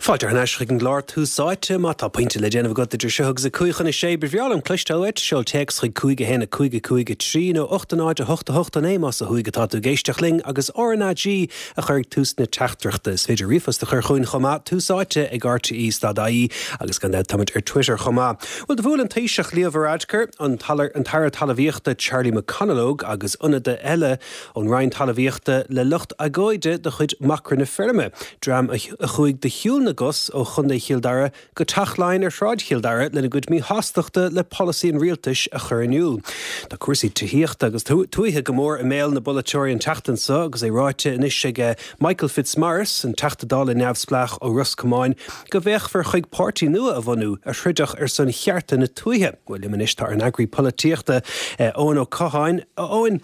Fáilte thar n-ais chuig an gclár Tús Áite. Má tá pointe le déanamh agat idir seo agus 5:55, ba bhreá liom cloisteáil uait. Seol téacs chuig 5 1 5 5 3 nó 8 0 8 8 9 más ó thuaidh atá tú ag éisteacht linn agus RnaG a chur ag tús na teachtaireachta. Is féidir ríomhphost a chur chugainn chomh maith, Tús Áite ag RTÉ stad ie agus gan dabht táimid ar Twitter chomh maith. Bhuel, do bhuail an Taoiseach Leo Varadkar, an tAire Talmhaíochta Charlie McConalogue agus ionadaithe eile ón Roinn Talmhaíochta le lucht agóide de chuid Macra na Feirme, dream a chuaigh de shiúl na gcos ó Chontae Chill Dara go Teach Laighean ar Shráid Chill Dara lena gcuid míshástachta le polasaí an rialtais a chur in iúl. Tá cúrsaí tithíochta agus tuaithe go mór i mbéal na bpolaiteoirí an tseachtain seo agus é ráite anois ag Michael Fitzmaurice, an Teachta Dála neamhspleách ó Ros Comáin, go bhféachfar chuig páirtí nua a bhunú a throidfeadh ar son chearta na tuaithe. Bhuel, liom anois tá ár n-eagraí polaitíochta, Eoin Ó Catháin. A Eoin,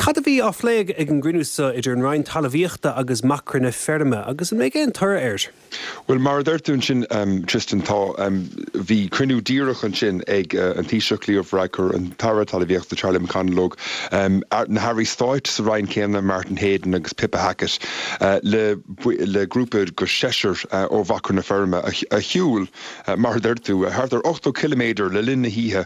cad a bhí á phlé ag an gcruinniú seo idir an Roinn Talmhaíochta agus Macra na Feirme agus an mbeidh aon toradh air? Bhuel, mar a deir tú ansin, Tristan, tá, bhí cruinniú díreach ansin ag an Taoiseach Leo Varadkar, an tAire Talmhaíochta Charlie McConalogue, na hAirí Stáit sa Roinn céanna, Martin Heydon agus Pippa Hackett, le le grúpa de sheisear ó Mhacra na Feirme a shiúil, mar a deir tú, thart ar 80 ciliméadar le linn na hoíche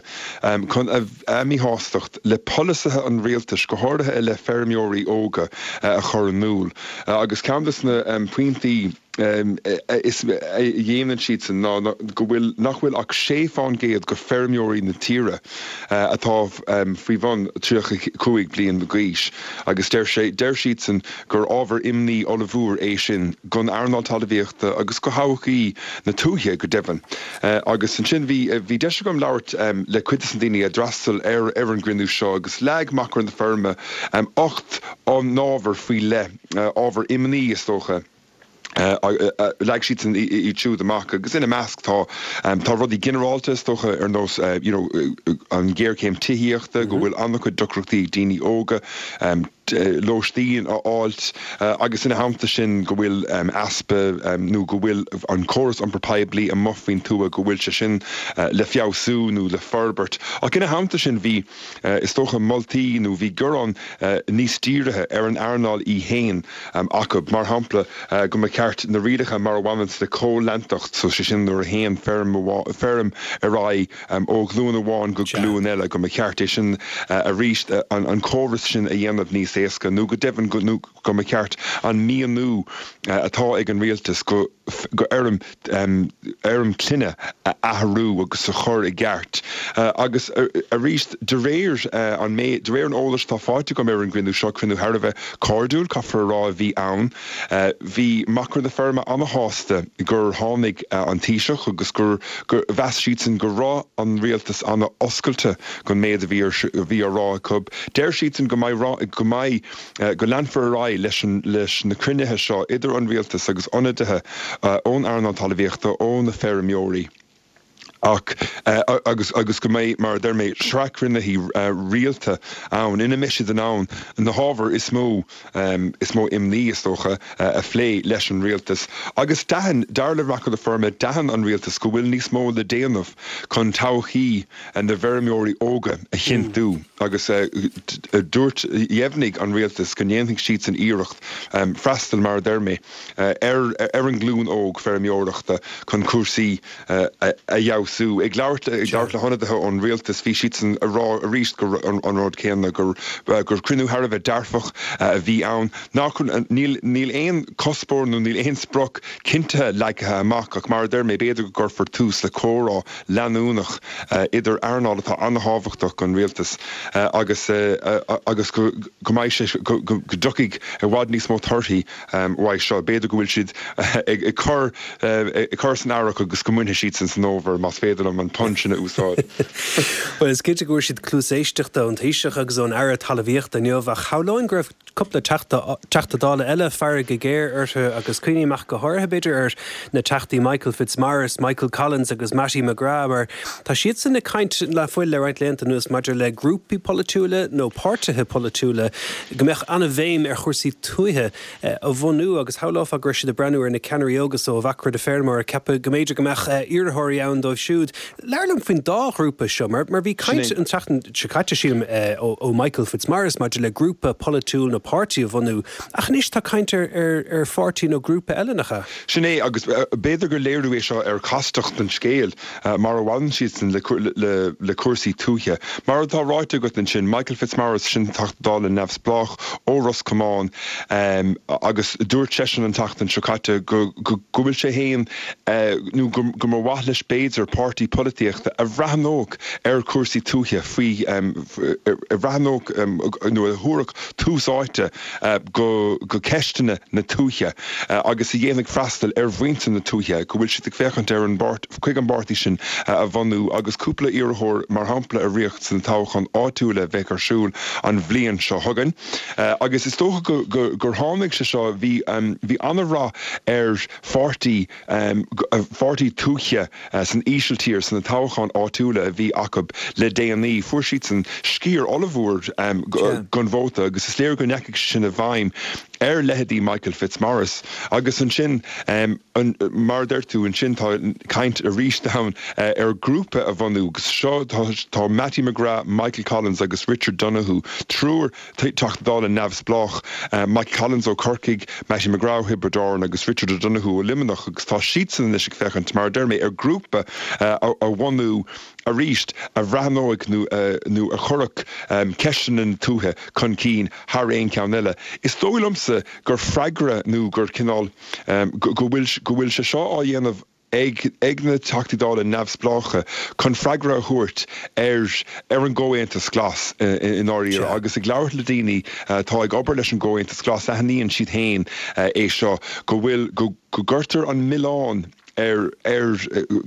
chun a míshástacht le polasaithe an rialtais, go háirithe i leith feirmeoirí óga, a chur in iúl. Agus ceann de na pointí is a dhéanann siadsan ná go bhfuil nach bhfuil ach 6 fán gcéad de feirmeoirí na tíre atá faoi bhun 35 bliain d'aois agus deir sé deir siadsan gur ábhar imní ollmhór é sin don earnáil talmhaíochta agus do thodhchaí na tuaithe go deimhin. Agus ansin bhí bhí deis agam labhairt le cuid de na daoine a d'fhreastail ar ar an gcruinniú seo agus leag Macra na Feirme 8 n-ábhar faoi leith, ábhar imní is dócha. Leag siadsan iad siúd amach agus ina measc tá tá rudaí ginearálta is dócha ar nós you know an ghéarchéim tithíochta, go bhfuil an-chuid deacrachtaí ag daoine óga lóistín a fháilt agus ina theannta sin go bhfuil easpa nó go bhfuil an córas iompar poiblí amuigh faoin tuath go bhfuil sé sin le feabhsú nó le forbairt. Ach ina theannta sin bhí is dócha moltaí nó bhí gearán níos dírithe ar an earnáil í féin acu. Mar shampla, go mba cheart na rialacha mar a bhaineanns le comhleantacht, so sé sin nuair a théann feirm feirm ar aghaidh ó ghlúin amháin go glúin eile, go mba cheart é sin arís, an córas sin a dhéanamh níos éasca nó go deimhin go go mba cheart an mianú atá ag an rialtas go go fheirm fheirm clainne a athrú agus a chur i gceart. Agus arís, de réir an méid, de réir an eolais atá faighte agam ar an gcruinniú seo, cruinniú thar a bheith cairdiúil, caithfear a rá, a bhí ann. Bhí Macra na Feirme ana-shásta gur tháinig an Taoiseach agus gur, gur mheas siadsan go raibh an rialtas ana-oscailte don méid a bhí ar, a bhí á rá acu. Deir siadsan go mbeidh, go mbeidh. go leanfar ar aghaidh leis an leis na cruinnithe seo idir an rialtas agus ionadaithe ón earnáil talmhaíochta, ó na feirmeoirí ach agus agus go mbeidh, mar a deir mé, sraith cruinnithe rialta ann ina mbeidh siad in ann na hábhair is mó is mó imní, is dócha, a phlé leis an rialtas. Agus d'aithin, dar le Macra na Feirme, d'aithin an rialtas go bhfuil níos mó le déanamh chun todhchaí na bhfeirmeoirí óga a chinntiú. Agus dúirt, dheimhnigh an rialtas go ndéanfaidh siadsan iarracht freastal, mar a deir mé, ar ar an nglúin óg feirmeoireachta chun cúrsaí a fheabhsú. Ag labhairt ag labhairt le hionadaithe ón rialtas, bhí siadsan ag rá arís gur an rud céanna, gur gur cruinniú thar a bheith dearfach a bhí ann, nach níl níl aon cuspóir nó níl aon sprioc cinntithe leagtha amach ach mar a deir mé, b'fhéidir go gcuirfear tús le comhrá leanúnach idir earnáil atá an-thábhachtach don rialtas agus agus go mbeidh sé, go dtiocfaidh i bhfad níos mó torthaí uaidh seo. B'fhéidir go bhfuil siad ag cur ag cur san earrach agus go mbainfidh siadsan san fhómhar, más féidir liom an pun sin a úsáid. Bhuel, is cinnte go bhfuair siad cluas éisteachta ón Taoiseach agus ón Aire Talmhaíochta inniu ach shamhlóinn go raibh cúpla Teachta Dála eile fearg ghéar orthu agus cuimhním ach go háirithe, b'fhéidir, ar na Teachtaí Michael Fitzmaurice, Michael Collins agus Mattie McGrath mar tá siadsan ag caint le fuil le roinnt laethanta anuas maidir le grúpaí polaitiúla nó páirtithe polaitiúla go mbeadh an-bhéim ar chúrsaí tuaithe a bhunú agus shamhlófá go raibh siad ag breathnú ar na ceannairí óga so ó Mhacra na Feirme mar ag ceapadh go mb'fhéidir go mbeadh iarrthóirí ann dóibh. siúd. Labhair liom faoin dá ghrúpa seo, mar mar bhí caint an tseachtain seo caite, sílim, ó ó Michael Fitzmaurice maidir le grúpa polaitiúil nó páirtí a bhunú, ach anois tá caint ar ar ar pháirtí nó grúpa eile, nach ea? Sin é, agus b'fhéidir gur léiriú é seo ar chastacht an scéil, mar a bhaineann siadsan le le cúrsaí tuaithe. Mar atá ráite agat ansin, Michael Fitzmaurice, sin Teachta Dála neamhspleách ó Ros Comáin, agus dúirt seisean an tseachtain seo caite go go bhfuil sé féin, nó go mba mhaith leis b'fhéidir, páirtí polaitíochta a bhreathnódh ar chúrsaí tuaithe faoi, a bhreathnódh nó a thabharfadh tús áite go ceisteanna na tuaithe agus a dhéanfadh freastal ar mhuintir na tuaithe, go bhfuil siad ag féachaint ar an chuig an bpáirtí sin a bhunú agus cúpla iarrthóir mar shampla a rith sna toghcháin áitiúla a bheidh ar siúl an bhliain seo chugainn. Agus is dócha gur tháinig sé seo, bhí bhí an-rath ar pháirtí pháirtí tuaithe san Ísiltír sna toghcháin áitiúla a bhí acu le déanaí. Fuair siadsan sciar ollmhór den vóta agus is léir go ndeachaigh sé sin i bhfeidhm ar leithéidí Michael Fitzmaurice. Agus ansin, mar a deir tú, ansin tá caint arís ann ar ghrúpa a bhunú agus seo tá Mattie McGrath, Michael Collins agus Richard Donoghue, triúr Teachta Dála neamhspleách, Michael Collins ó Chorcaigh, Mattie McGrath ó Thiobraid Árann agus Richard O'Donoghue ó Luimneach agus tá siadsan anois ag féachaint, mar a deir mé, ar ghrúpa a bhunú arís a bhreathnóidh nó nó a chuirfeadh ceisteanna na tuaithe chun cinn thar aon cheann eile. Is dóigh liomsa gur freagra nó gur cineál go bhfuil go bhfuil sé seo á dhéanamh ag ag na Teachtaí Dála neamhspleácha chun freagra a thabhairt ar ar an gComhaontas Glas i ndáiríre agus ag labhairt le daoine atá ag obair leis an gComhaontas Glas aithníonn siad féin é seo go bhfuil go go gcuirtear an milleán ar ar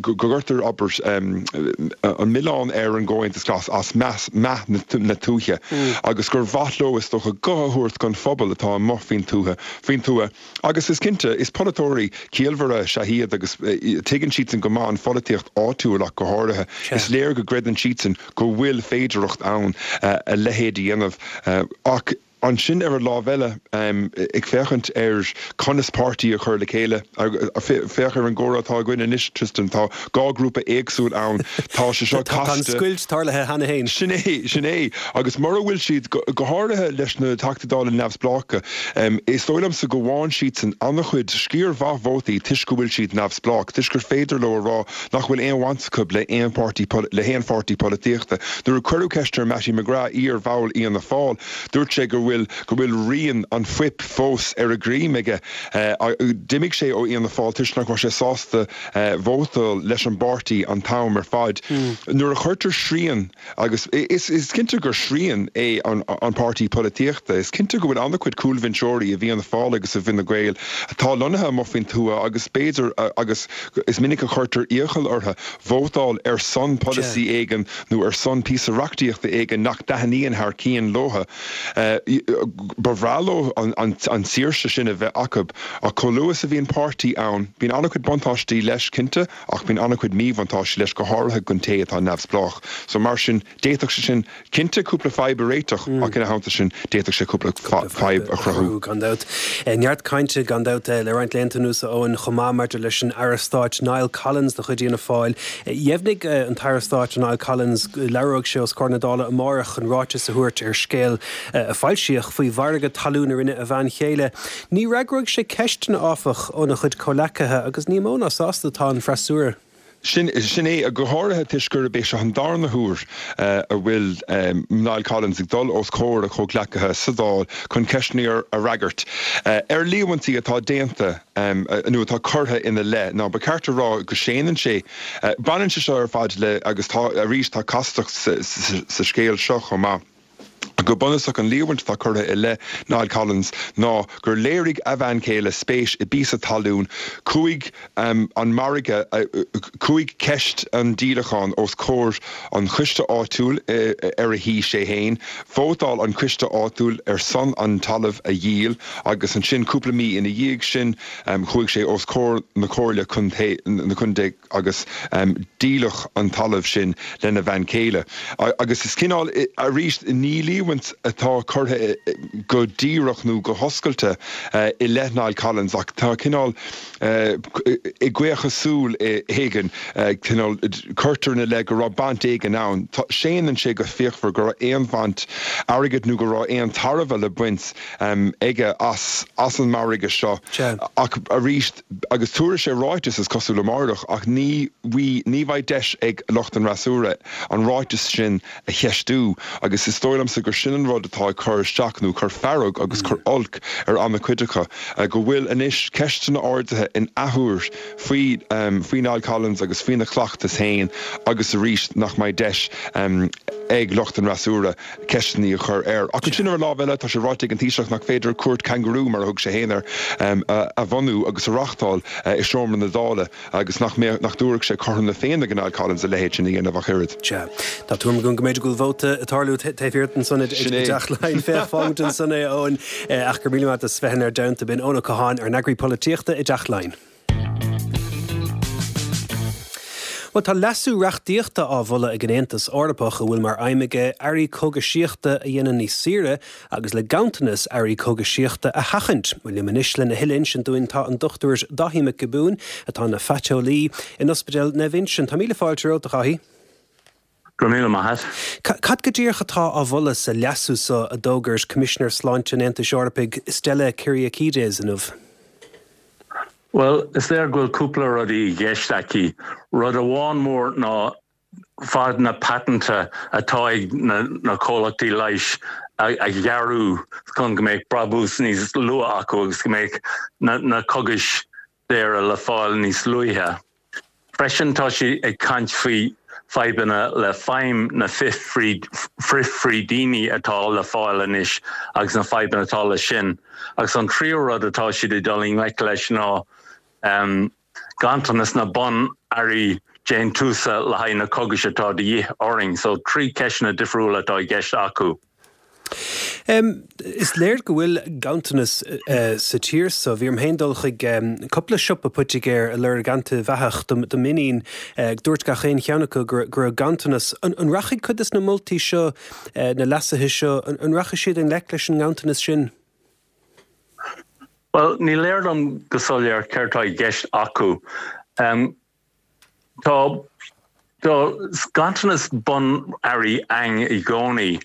go gcuirtear abair an milleán ar an gComhaontas Glas as meath meath na tuaithe agus gur mhaith leo is dócha guth a thabhairt don phobal atá amuigh faoin tuaithe faoin tuath. Agus is cinnte, is polaiteoirí ciallmhara is ea iad agus tuigeann siadsan go maith an pholaitíocht áitiúil ach go háirithe. Is léir go gcreideann siadsan go bhfuil féidearthacht ann a leithéid a dhéanamh. Ach ansin ar an lámh eile, ag féachaint ar conas páirtí a chur le chéile, féach ar an gcomhrá atá againn anois, Tristan, tá dhá ghrúpa éagsúil ann, tá sé seo casta. Tá an scoilt tarlaithe cheana féin. Sin é, sin é. Agus mura bhfuil siad, go háirithe leis na Teachtaí Dála neamhspleácha, Is dóigh liomsa go bhfaigheann siadsan an-chuid, sciar mhaith vótaí toisc go bhfuil siad neamhspleách, toisc gur féidir leo a rá nach bhfuil aon bhaint acu le haon pháirtí, le haon pháirtí polaitíochta. Nuair a cuireadh ceist ar Mattie McGrath, iar-bhall Fhianna Fáil, dúirt sé go bhfuil, go bhfuil rian an phoip fós ar a dhroim aige. D'imigh sé ó Fhianna Fáil toisc nach raibh sé sásta vótáil leis an bpáirtí an t-am ar fad. Nuair a chuirtear srian. Agus is cinnte gur srian é an páirtí polaitíochta. Is cinnte go bhfuil an-chuid cúlbhinseoirí i bhFianna Fáil agus i bhFine Gael atá lonnaithe amuigh faoin tuath agus b'fhéidir, agus is minic a chuirtear iachall orthu, vótáil ar son polasaí éigin nó ar son píosa reachtaíochta éigin nach dtaitníonn thar cionn leo. Ba bhreá leo an tsaoirse sin a bheith acu ach chomh luath is a bhíonn páirtí ann, bíonn an-chuid buntáistí leis, cinnte. Ach bíonn an-chuid míbhuntáistí leis, go háirithe don té atá neamhspleách. So mar sin, d'fhéadfadh sé sin, cinnte, cúpla fadhb a réiteach, ach ina theannta sin, d'fhéadfadh sé cúpla fadhb a chruthú. Gan dabht. Neart cainte, gan dabht, le roinnt laethanta anuas, a Eoin, chomh maith maidir leis an Aire Stáit Niall Collins de chuid Fhianna Fáil. Dheimhnigh an tAire Stáit Niall Collins go labhróidh sé os comhair na Dála amárach chun ráiteas a thabhairt ar scéal a foilsíodh faoi mhargadh talún a rinne a bhean chéile. Ní fhreagróidh sé ceisteanna, áfach, óna chuid comhleacaithe agus ní mó ná sásta atá an freasúra. Sin é, go háirithe toisc gurb é seo an darna huair a bhfuil Niall Collins ag dul os comhair a chomhghleacaithe sa Dáil chun ceisteanna a fhreagairt ar líomhaintí atá déanta nó atá curtha ina leith. Ná ba cheart a rá go séanann sé. Baineann sé seo ar fad le, agus tá, arís, tá castacht sa scéal seo chomh maith. Go bunúsach, an líomhaint atá curtha i leith Niall Collins ná gur léirigh a bhean chéile spéis i bpíosa talún. Chuaigh an margadh, chuaigh ceist an díolacháin os comhair an choiste áitiúil ar a shuigh sé féin. Vótáil an coiste áitiúil ar son an talamh a dhíol agus ansin cúpla mí ina dhiaidh sin chuaigh sé os comhair na comhairle contae. agus díoladh an talamh sin lena bhean chéile. Agus is cineál, arís, ní líomhaint. líomhaint atá curtha go díreach nó go hoscailte i leith Niall Collins ach tá cineál i gcaochadh súl éigin, cineál, cuirtear ina leith go raibh baint éigin ann. Séanann sé go fíochmhar go raibh aon bhaint airgid nó go raibh aon tairbhe le baint aige as an margadh seo. Ach arís, agus tabharfaidh sé ráiteas, is cosúil, amárach, ach ní ní bheidh deis ag lucht an fhreasúra an ráiteas sin a cheistiú agus is dóigh liomsa gur sin an rud atá ag cur isteach nó cur fearg agus cur olc ar an-chuid acu, go bhfuil anois ceisteanna ardaithe in athuair faoi faoi Niall Collins agus faoina chleachtas féin agus arís nach mbeidh deis ag lucht an fhreasúra ceisteanna a chur air. Ach ansin ar an lámh eile tá sé ráite ag an Taoiseach nach féidir cúirt cangarú, mar a thug sé féin air, a bhunú agus a reáchtáil i seomra na Dála. Agus nach mbeadh, nach dtabharfadh sé cothrom na Féinne do Niall Collins a leithéid sin a dhéanamh ach oiread. Sea. Tá tuairim agam go mb'fhéidir go bhfuil vóta ag tarlú taobh thiar ansan i dTeach Laighean. Féach, fágfaimid ansan é, a Eoin. Ach go raibh míle maith agat as bheith inár dteannta. B'in Eoin Ó Catháin, ár n-eagraí polaitíochta i dTeach Laighean. Bhuel, tá leasú reachtaíochta á mholadh ag an Aontas Eorpach a bhfuil mar aidhm aige earraí cógaisíochta a dhéanamh níos saoire agus le ganntanas earraí cógaisíochta a sheachaint. Liom anois lena thuilleadh a insint dúinn tá an Dr Daithí Mac Giobúin, atá ina phaiteolaí in Ospidéal Naomh Uinseann. Tá míle fáilte romhat, a Dhaithí. Go raibh míle maith agat. Cad go díreach atá á mholadh sa leasú so a d'fhógair Coimisinéir Sláinte an Aontais Eorpaigh, Stella Kyriakides, inniu? Bhuel, is léir go bhfuil cúpla rudaí i gceist aici. Rud amháin mór ná fad na paitinte atá ag na comhlachtaí leighis a ghearrú chun go mbeadh brabús níos luath acu agus go mbeadh na cógais daora le fáil níos luaithe. Freisin tá sí ag caint faoi fadhbanna le feidhm na frithfhrídíní atá le fáil anois agus na fadhbanna atá leis sin. Agus an tríú rud atá siad ag dul i ngleic leis ná ganntanas na bun-earraí déantúsa le haghaidh na cógais atá de dhíth orainn. So, 3 ceisteanna difriúla atá i gceist acu. Is léir go bhfuil ganntanas sa tír so. Bhí orm féin dul chuig cúpla siopa poitigéir ag lorg antaibheathach do m'iníon. Dúirt gach aon cheann acu go raibh ganntanas. An rachaidh cuid de na moltaí seo, na leasuithe seo, an rachaidh siad i ngleic leis an nganntanas sin? Bhuel, ní léir dom go soiléir céard tá i gceist acu. Tá tá ganntanas bun-earraí ann i gcónaí,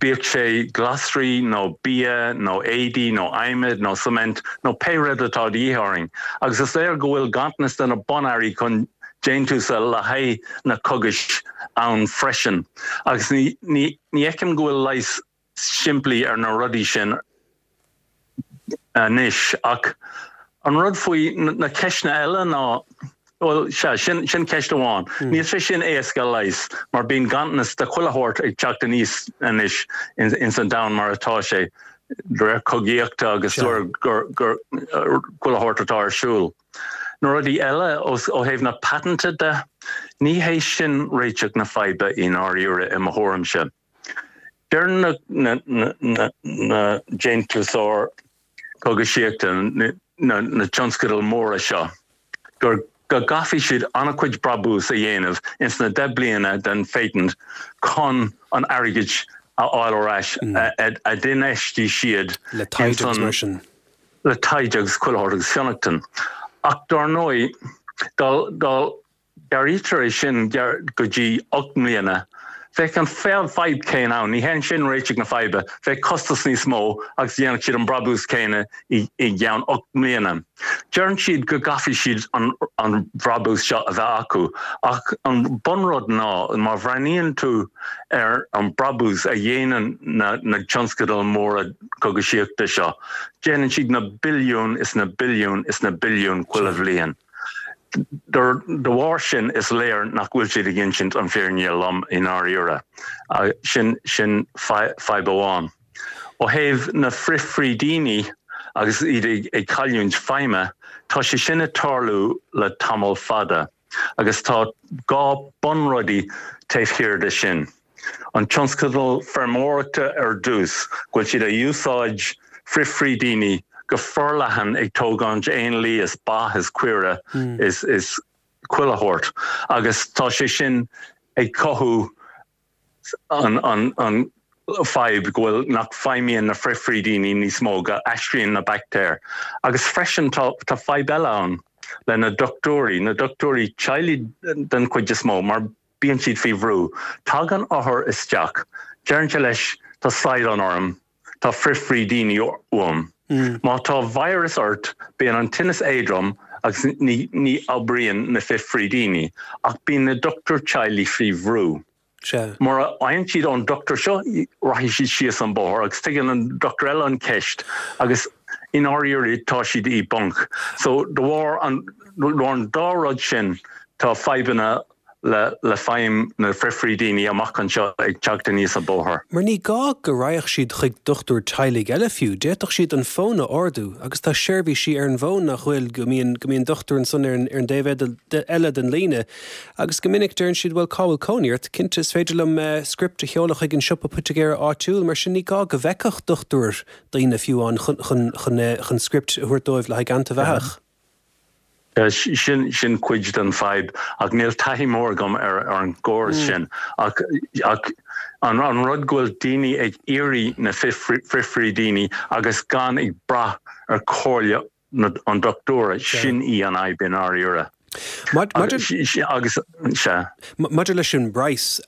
bíodh sé glasraí nó bia nó éadaí nó adhmad nó cement nó pé rud atá de dhíth orainn. Agus is léir go bhfuil ganntanas de na bun-earraí chun déantúsa le haghaidh na cógais ann freisin. Agus ní ní fheicim go bhfuil leigheas simplí ar na rudaí sin anois. Ach an rud faoi na ceisteanna eile ná, bhuel, sea, sin, sin ceist amháin. Níl sé sin éasca a leigheas mar bíonn ganntanas de chuile shórt ag teacht aníos anois ins an domhan mar atá sé, de réir cogaíochta agus de réir gur, gur, chuile shórt atá ar siúl. Na rudaí eile ó thaobh na paitinte de, ní hé sin réiteach na faidhbe i ndáiríre i mo thuairimse. Deir na déantúsóirí cógaisíochta, na tionscadail mhóra seo, gur go gcaithfidh siad an-chuid brabús a dhéanamh ins na 10 bliana den phatent chun an airgead a fháil ar ais a d'infheistigh siad Le taighde agus mar sin. Le taighde agus chuile shórt agus fionnachtain. Ach dár ndóigh, dá Gearraítear é sin go dtí 8 mbliana. Bheadh an fadhb céanna ann. Ní hé sin réiteach na faidhbe. Bheadh costas níos mó agus dhéanfadh siad an brabús céanna i gceann 8 mbliana. Deireann siad go gcaithfidh siad an brabús seo a bheith acu ach an bunrud ná má bhreathnaíonn tú ar an brabús a dhéanann na tionscadail móra cógaisíochta seo, déanann siad na billiúin is na billiúin is na billiúin chuile bhliain. De bharr sin, is léir nach bhfuil siad ag insint an fírinne lom i ndáiríre. Sin sin fadhb amháin. Ó thaobh na frithfhrídíní agus iad ag cailliúint feidhme, tá sé sin ag tarlú le tamall fada agus tá dhá bunrudaí taobh thiar de sin. An tionscadal feirmeoireachta ar dtús, go bhfuil siad ag úsáid frithfhrídíní go forleathan ag tógáint éanlaith is ba is caoire is is chuile shórt agus tá sé sin ag cothú an an an. fadhb go bhfuil nach feidhmíonn na frithfhrídíní níos mó, go aistríonn na baictéir. Agus freisin tá tá fadhb eile ann le na dochtúirí, na dochtúirí teaghlaigh den chuid is mó, mar bíonn siad faoi bhrú. Tagann othar isteach, deireann sé leis tá slaghdán orm, tá frithfhrídíní uaim. Má tá virus ort bíonn an tinneas éadrom agus ní ní oibríonn na frithfhrídíní ach bíonn na dochtúir teaghlaigh faoi bhrú. Sea. Mura fhaigheann siad ón dochtúir seo rachaidh siad síos an bóthar agus tuigeann an dochtúir eile an ceist agus i ndáiríre tá siad i bponc. So de bharr an de bharr an dá rud sin tá fadhbanna le le feidhm na frithfhrídíní amach anseo ag teacht aníos an bóthar. Mar ní gá go raghadh siad chuig dochtúir teaghlaigh eile fiú, d'fhéadfadh siad an fón a ardú agus tá seirbhísí ar an bhfón nach bhfuil, go mbíonn go mbíonn dochtúir ansan ar an ar an dtaobh eile den líne agus go minic deireann siad bhuel cá bhfuil cónaí ort? Cinnte is féidir liom script a sheoladh chuig an siopa poitigéara áitiúil mar sin ní gá go bhfeicfeadh dochtúir daoine fiú amháin chun chun chun chun script a thabhairt dóibh le haghaidh antaibheathach. Sin sin cuid den fadhb ach níl taithí mór agam ar ar an gcóras sin ach ach an an rud go bhfuil daoine ag iarraidh na frithfhrídíní agus gan ag brath ar chomhairle na an dochtúra, sin í an fhadhb i ndáiríre. Maidir Agus sea. Maidir leis an bpraghas,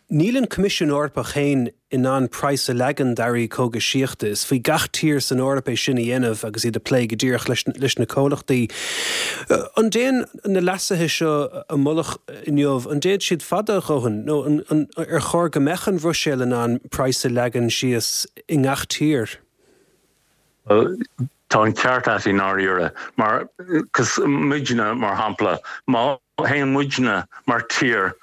níl an Coimisiún Eorpach féin in ann praghas a leagan d'earraí cógaisíochta. Is faoi gach tír san Eoraip é sin a dhéanamh agus iad ag plé go díreach leis na comhlachtaí. An dtéann na leasuithe seo a moladh inniu, an dtéann siad fada a dhóthain nó ar chóir go mbeadh an Bhruiséil in ann praghas a leagan síos i ngach tír? Bhuel, tá an ceart a't i ndáiríre, mar, 'cause muidne, mar shampla, má théann muidne mar tír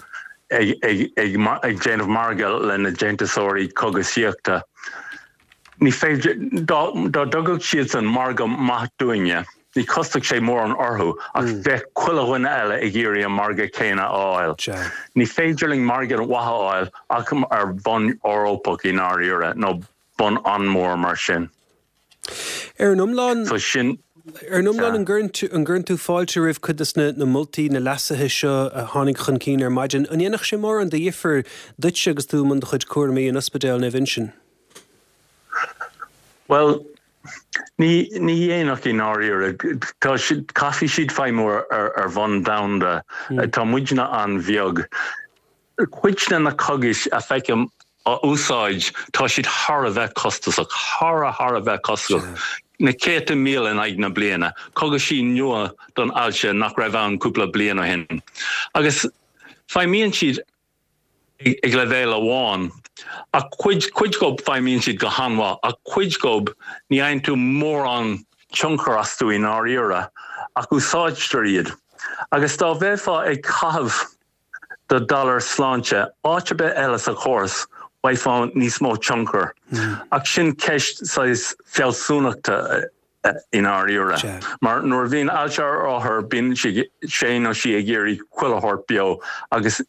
ag, ag, ag, ag déanamh margadh le na déantúsóirí cógaisíochta, ní féidir, dá, dá dtugadh siadsan margadh maith dúinne, ní chosnódh sé mórán orthu, ach bheadh chuile dhuine eile ag iarraidh an margadh céanna a fháil. Ní féidir linn margadh mhaith a fháil ach ar bhonn Eorpach i ndáiríre, nó bonn an-mhór mar sin. Ar an iomlán, So sin, ar an iomlán an gcuireann tú fáilte roimh cuid de na moltaí, na leasuithe seo a tháinig chun cinn ar maidin? An ndéanfadh sé mórán de dhifear duitse agus tú i mbun do chuid cúraimí in Ospidéal Naomh Uinseann? Bhuel, ní, ní dhéanfadh i ndáiríre. Tá siad, caithfidh siad feidhmiú ar, ar bhonn domhanda. Tá muidne an-bheag. Cuid de na cógais a feicim á úsáid, tá siad thar a bheith costasach, thar a thar a bheith costasach, na céadta míle in aghaidh na bliana, cogaisí nua don ailse nach raibh ann cúpla bliain ó shin. Agus feidhmíonn siad ag leibhéal amháin, ach cuid, cuid dhób feidhmíonn siad go han-mhaith, ach cuid dhób ní fhaigheann tú mórán tionchar astu i ndáiríre, ach úsáidtear iad. Agus dá bheifeá ag caitheamh. do dollar sláinte áit ar bith eile sa chóras, bhfaighfeá níos mó tionchar. Ach sin ceist saghas fealsúnachta i ndáiríre. Mar nuair a bhíonn ailse ar othar, bíonn sé nó sí ag iarraidh chuile shórt beo agus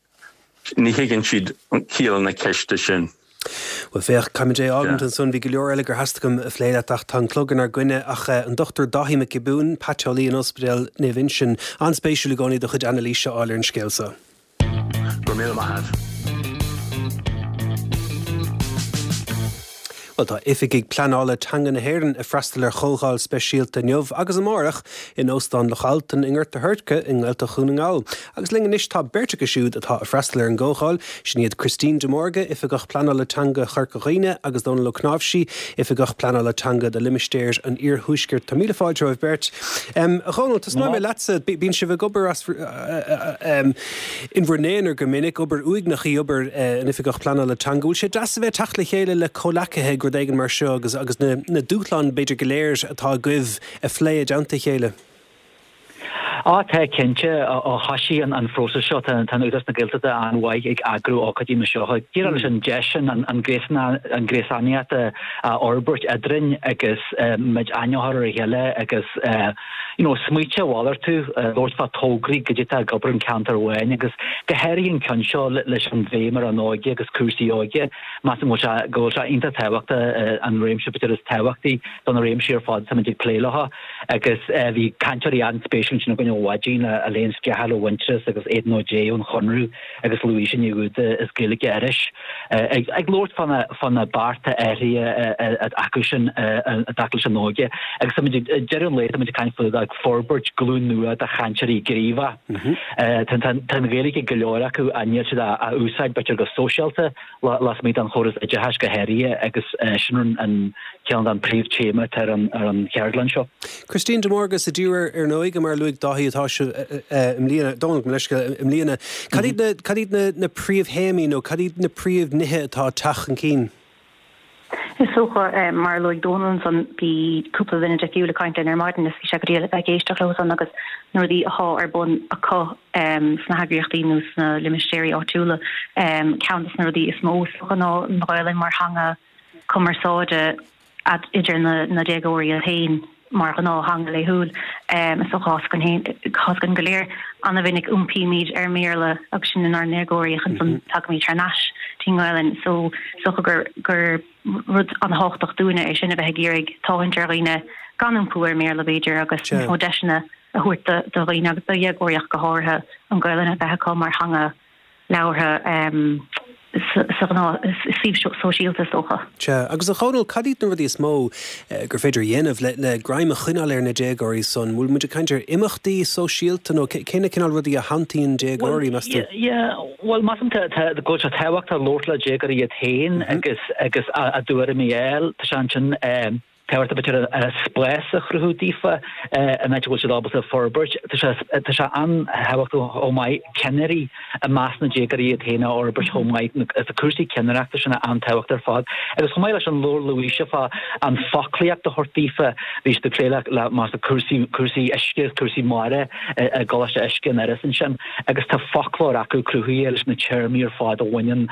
ní thuigeann siad ciall na ceiste sin. Bhuel, féach, caithfimid é a fhágaint ansan. Bhí go leor eile gur theastaigh uaim a phlé leat ach tá an clog inár gcoinne. Ach an Dr Dáithí Mac Giobúin, paiteolaí in Ospidéal Naomh Uinseann, an-spéisiúil i gcónaí do chuid anailíse a fháil ar an scéal so. Go raibh míle maith a't. Bhuel, tá oifigigh pleanála teanga na hÉireann ag freastal ar chomhdháil speisialta inniu agus amárach in Óstán Loch Altan i nGort a' Choirce i nGaeltacht Dhún na nGall. Agus linn anois tá beirt acu siúd atá ag freastal ar an gcomhdháil, sin iad Christine de Mórdha, Oifigeach Pleanála Teanga Chorca Dhuibhne agus Dónal Ó Cnáimhsí, Oifigeach Pleanála Teanga do Limistéar an Iarthuaiscirt. Tá míle fáilte romhaibh beirt. A Dhónaill, tosnóidh mé leatsa. Bíonn sibh ag obair as in bhur n-aonar go minic, obair uaigneach í obair an Oifigeach Pleanála Teanga. Bhfuil sé deas a bheith ag teacht le chéile le comhleacaithe ag rud éigin mar seo agus agus na na dúshláin b'fhéidir go léir atá agaibh a phlé i dteannta a chéile? Á, tá, cinnte. Ó thoisigh an phróiseas seo, tá Údarás na Gaeltachta an-mhaith ag eagrú ócáidí mar seo. Díreach leis an deis sin an gréasánaíocht a fhorbairt eadrainn agus muid aithne a chur ar a chéile agus you know smaointe a mhalartú, labhairt fá tograí goidé atá ag obair in ceantar amháin agus go háirithe an ceann seo leis an bhéim ar an óige agus cúrsaí óige. Measaim go bhfuil sé go bhfuil sé iontach tábhachtach an réimse b'fhéidir is tábhachtaí do na réimsí ar fad táimid ag plé leo. Agus bhí cainteoirí an-spéisiúil ansin againn. ó Mhaidín le Elaine Scahill ó Mhuintearas agus Aidan O'Dea ón Chonradh agus Louise Ní Dhúda as Gaeilge Iorrais ag labhairt fá na bearta áirithe acu sin i dtaca leis an óige agus táimid ag deireadh an lae táimid ag caint faoi ag forbairt glúin nua de chainteoirí gníomhacha. Tá an Ghaeilge ag go leor acu ach níl siad á úsáid b'fhéidir go sóisialta. lasmuigh den chóras oideachais go háirithe agus sin an ceann den príomh-téama atá ar an cheardlann seo. Christine de Mórdha, sa díriú ar an óige mar a luaigh Dáithí atá sibh i mbliana, Dónal, gabh mo leithscéal, i mbliana. Cad iad na, cad iad na, na príomhthéamaí nó cad iad na príomhnithe atá ag teacht chun cinn? Is dócha, mar a luaigh Dónal ansan, bhí cúpla duine difriúil ag caint linn ar maidin is bhí sé go diail a bheith ag éisteacht leo san agus na rudaí athá ar bun acu sna heagraíochtaí nó sna limistéirí áitiúla. Ceann des na rudaí is mó is dócha ná an Ghaelainn mar theanga cumarsáide idir na déagóirí iad féin mar ghnáth-theanga laethúil. Is dócha tá a fhios againn go léir, an-mhinic iompaímid ar an mBéarla agus sinn inár ndéagóirí ach ansan tagaimid thar n-ais dtí'n nGaelainn. So is dócha gur gur rud an-thábhachtach dúinne é sin a bheith ag iarraidh tathant ar dhaoine gan iompú ar an mBéarla b'fhéidir agus níos mó deiseanna a thabhairt do dhaoine agus do dhéagóirí ach go háirithe an Ghaelainn a bheith acu mar theanga labhartha sa ghnáth suíomh sóisialta is dócha. Sea, agus a Dhónaill, cad iad na rudaí is mó gur féidir a dhéanamh le greim a choinneáil ar na déagóirí san? Bhfuil muid ag caint ar imeachtaí sóisialta nó cé na cineál rudaí a shantaíonn déagóirí, meas tú? Yeah, bhuel, measaim go bhfuil sé tábhachtach labhairt le déagóirí iad féin agus agus a dtuairimí a fháil. Tá sé ansin tábhachtach b'fhéidir spás a chruthú daofa in áit a bhfuil siad ábalta forbairt. Tá sé tá sé an-thábhachtach chomh maith ceannairí i measc na déagóirí iad féin a fhorbairt chomh maith. Tá cúrsaí ceannaireachta sin an-tábhachtach ar fad. Agus chomh maith leis an labhair Louise fá an foclaíocht a thabhairt daofa, bhí siad ag plé le le mar cúrsaí cúrsaí uisce, cúrsaí mara i gColáiste Uisce in Iorras ansin. agus tá foclóir acu cruthaithe leis na téarmaí ar fad a bhaineann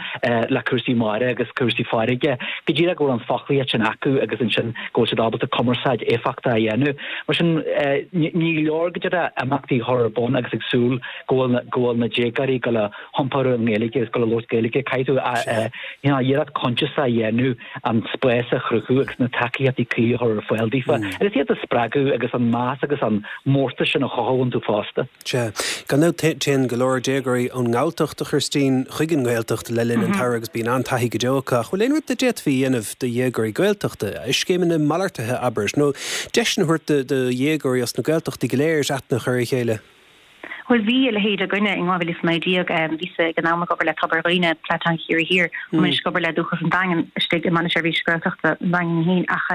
le cúrsaí mara agus cúrsaí farraige, go díreach go bhfuil an foclaíocht sin acu agus ansin go bhfuil siad ábalta cumarsáid éifeachtach a dhéanamh. Mar sin, ní leor go díreach imeachtaí a chur ar bun agus ag súil go bhfuil go bhfuil na déagóirí ag dul a hiompar ar an nGaeilge agus ag dul a labhairt Gaeilge. Caithfidh tú you know, iarracht coinsiasach a dhéanamh an spás a chruthú agus na tacaíochtaí cuí a chur ar fáil daofa agus iad a spreagadh agus an meas agus an mórtas sin a chothú iontu fosta. Sea. Gan dabht, téann go leor déagóirí ón nGalltacht, a Christine, chuig an nGaeltacht le linn an tsamhraidh agus bíonn an-taithí go deo acu. Ach bhfuil aon rud a d'fhéadfaí a dhéanamh do dhéagóirí Gaeltachta, scéimeanna malartaithe, abair, nó deiseanna a thabhairt do dhéagóirí as na Gaeltachtaí go léir aithne a chur ar a chéile? Bhuel, bhí a leithéid againne in 2019. Bhíos-sa ag an am ag obair le Tobar Dhuibhne, Plean Teanga Chiarraí Thiar. Táim anois ag obair le Dúchas an Daingin istigh i mBaile Seirbhíse Gaeltachta an Daingin féin ach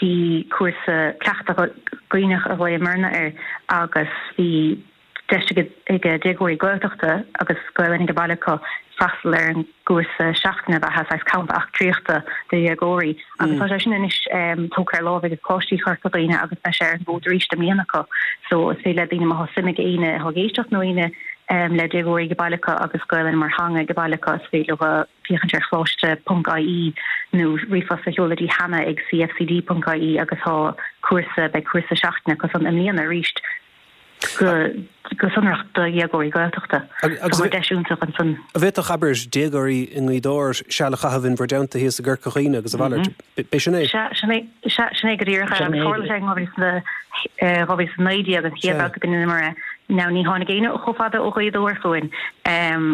bhí cúrsa cleachtadh Duibhneach a ghlaomarna air agus bhí deis ag déagóirí Gaeltachta agus Gaelainn ag baile acu freastal ar an gcúrsa seachtaine beatha, saghas campa eachtraíochta do dhéagóirí agus tá sé sin anois tógtha ar láimh ag Coláiste Chorca Dhuibhne agus beidh sé ar an bhfód arís i mbliana acu. So is féidir le daoine má tá suim ag éinne atá ag éisteacht nó éinne le déagóirí ag baile acu agus Gaelainn mar theanga ag baile acu is féidir leo féachaint ar choláiste ponc ie nó ríomhphost a sheoladh dtí hannah ag cfcd ponc ie agus tá cúrsa, beidh cúrsa seachtaine acu san i mbliana arís go go sonrach do dhéagóirí Gaeltachta. Agus tá deis iontach ansan. An bhféadfadh, abair, déagóirí i nGaoth Dobhair seal a chaitheamh in bhur dteannta thíos i gCorca Dhuibhne agus a mhalairt? B'é sin é? Sea, sin é, sea, sin é go díreach é agus tharla sé in 2019 an chéad bhabhta go ndeineamar é. Now ní tháinig éinne chomh fada ó Ghaoth Dobhair chugainn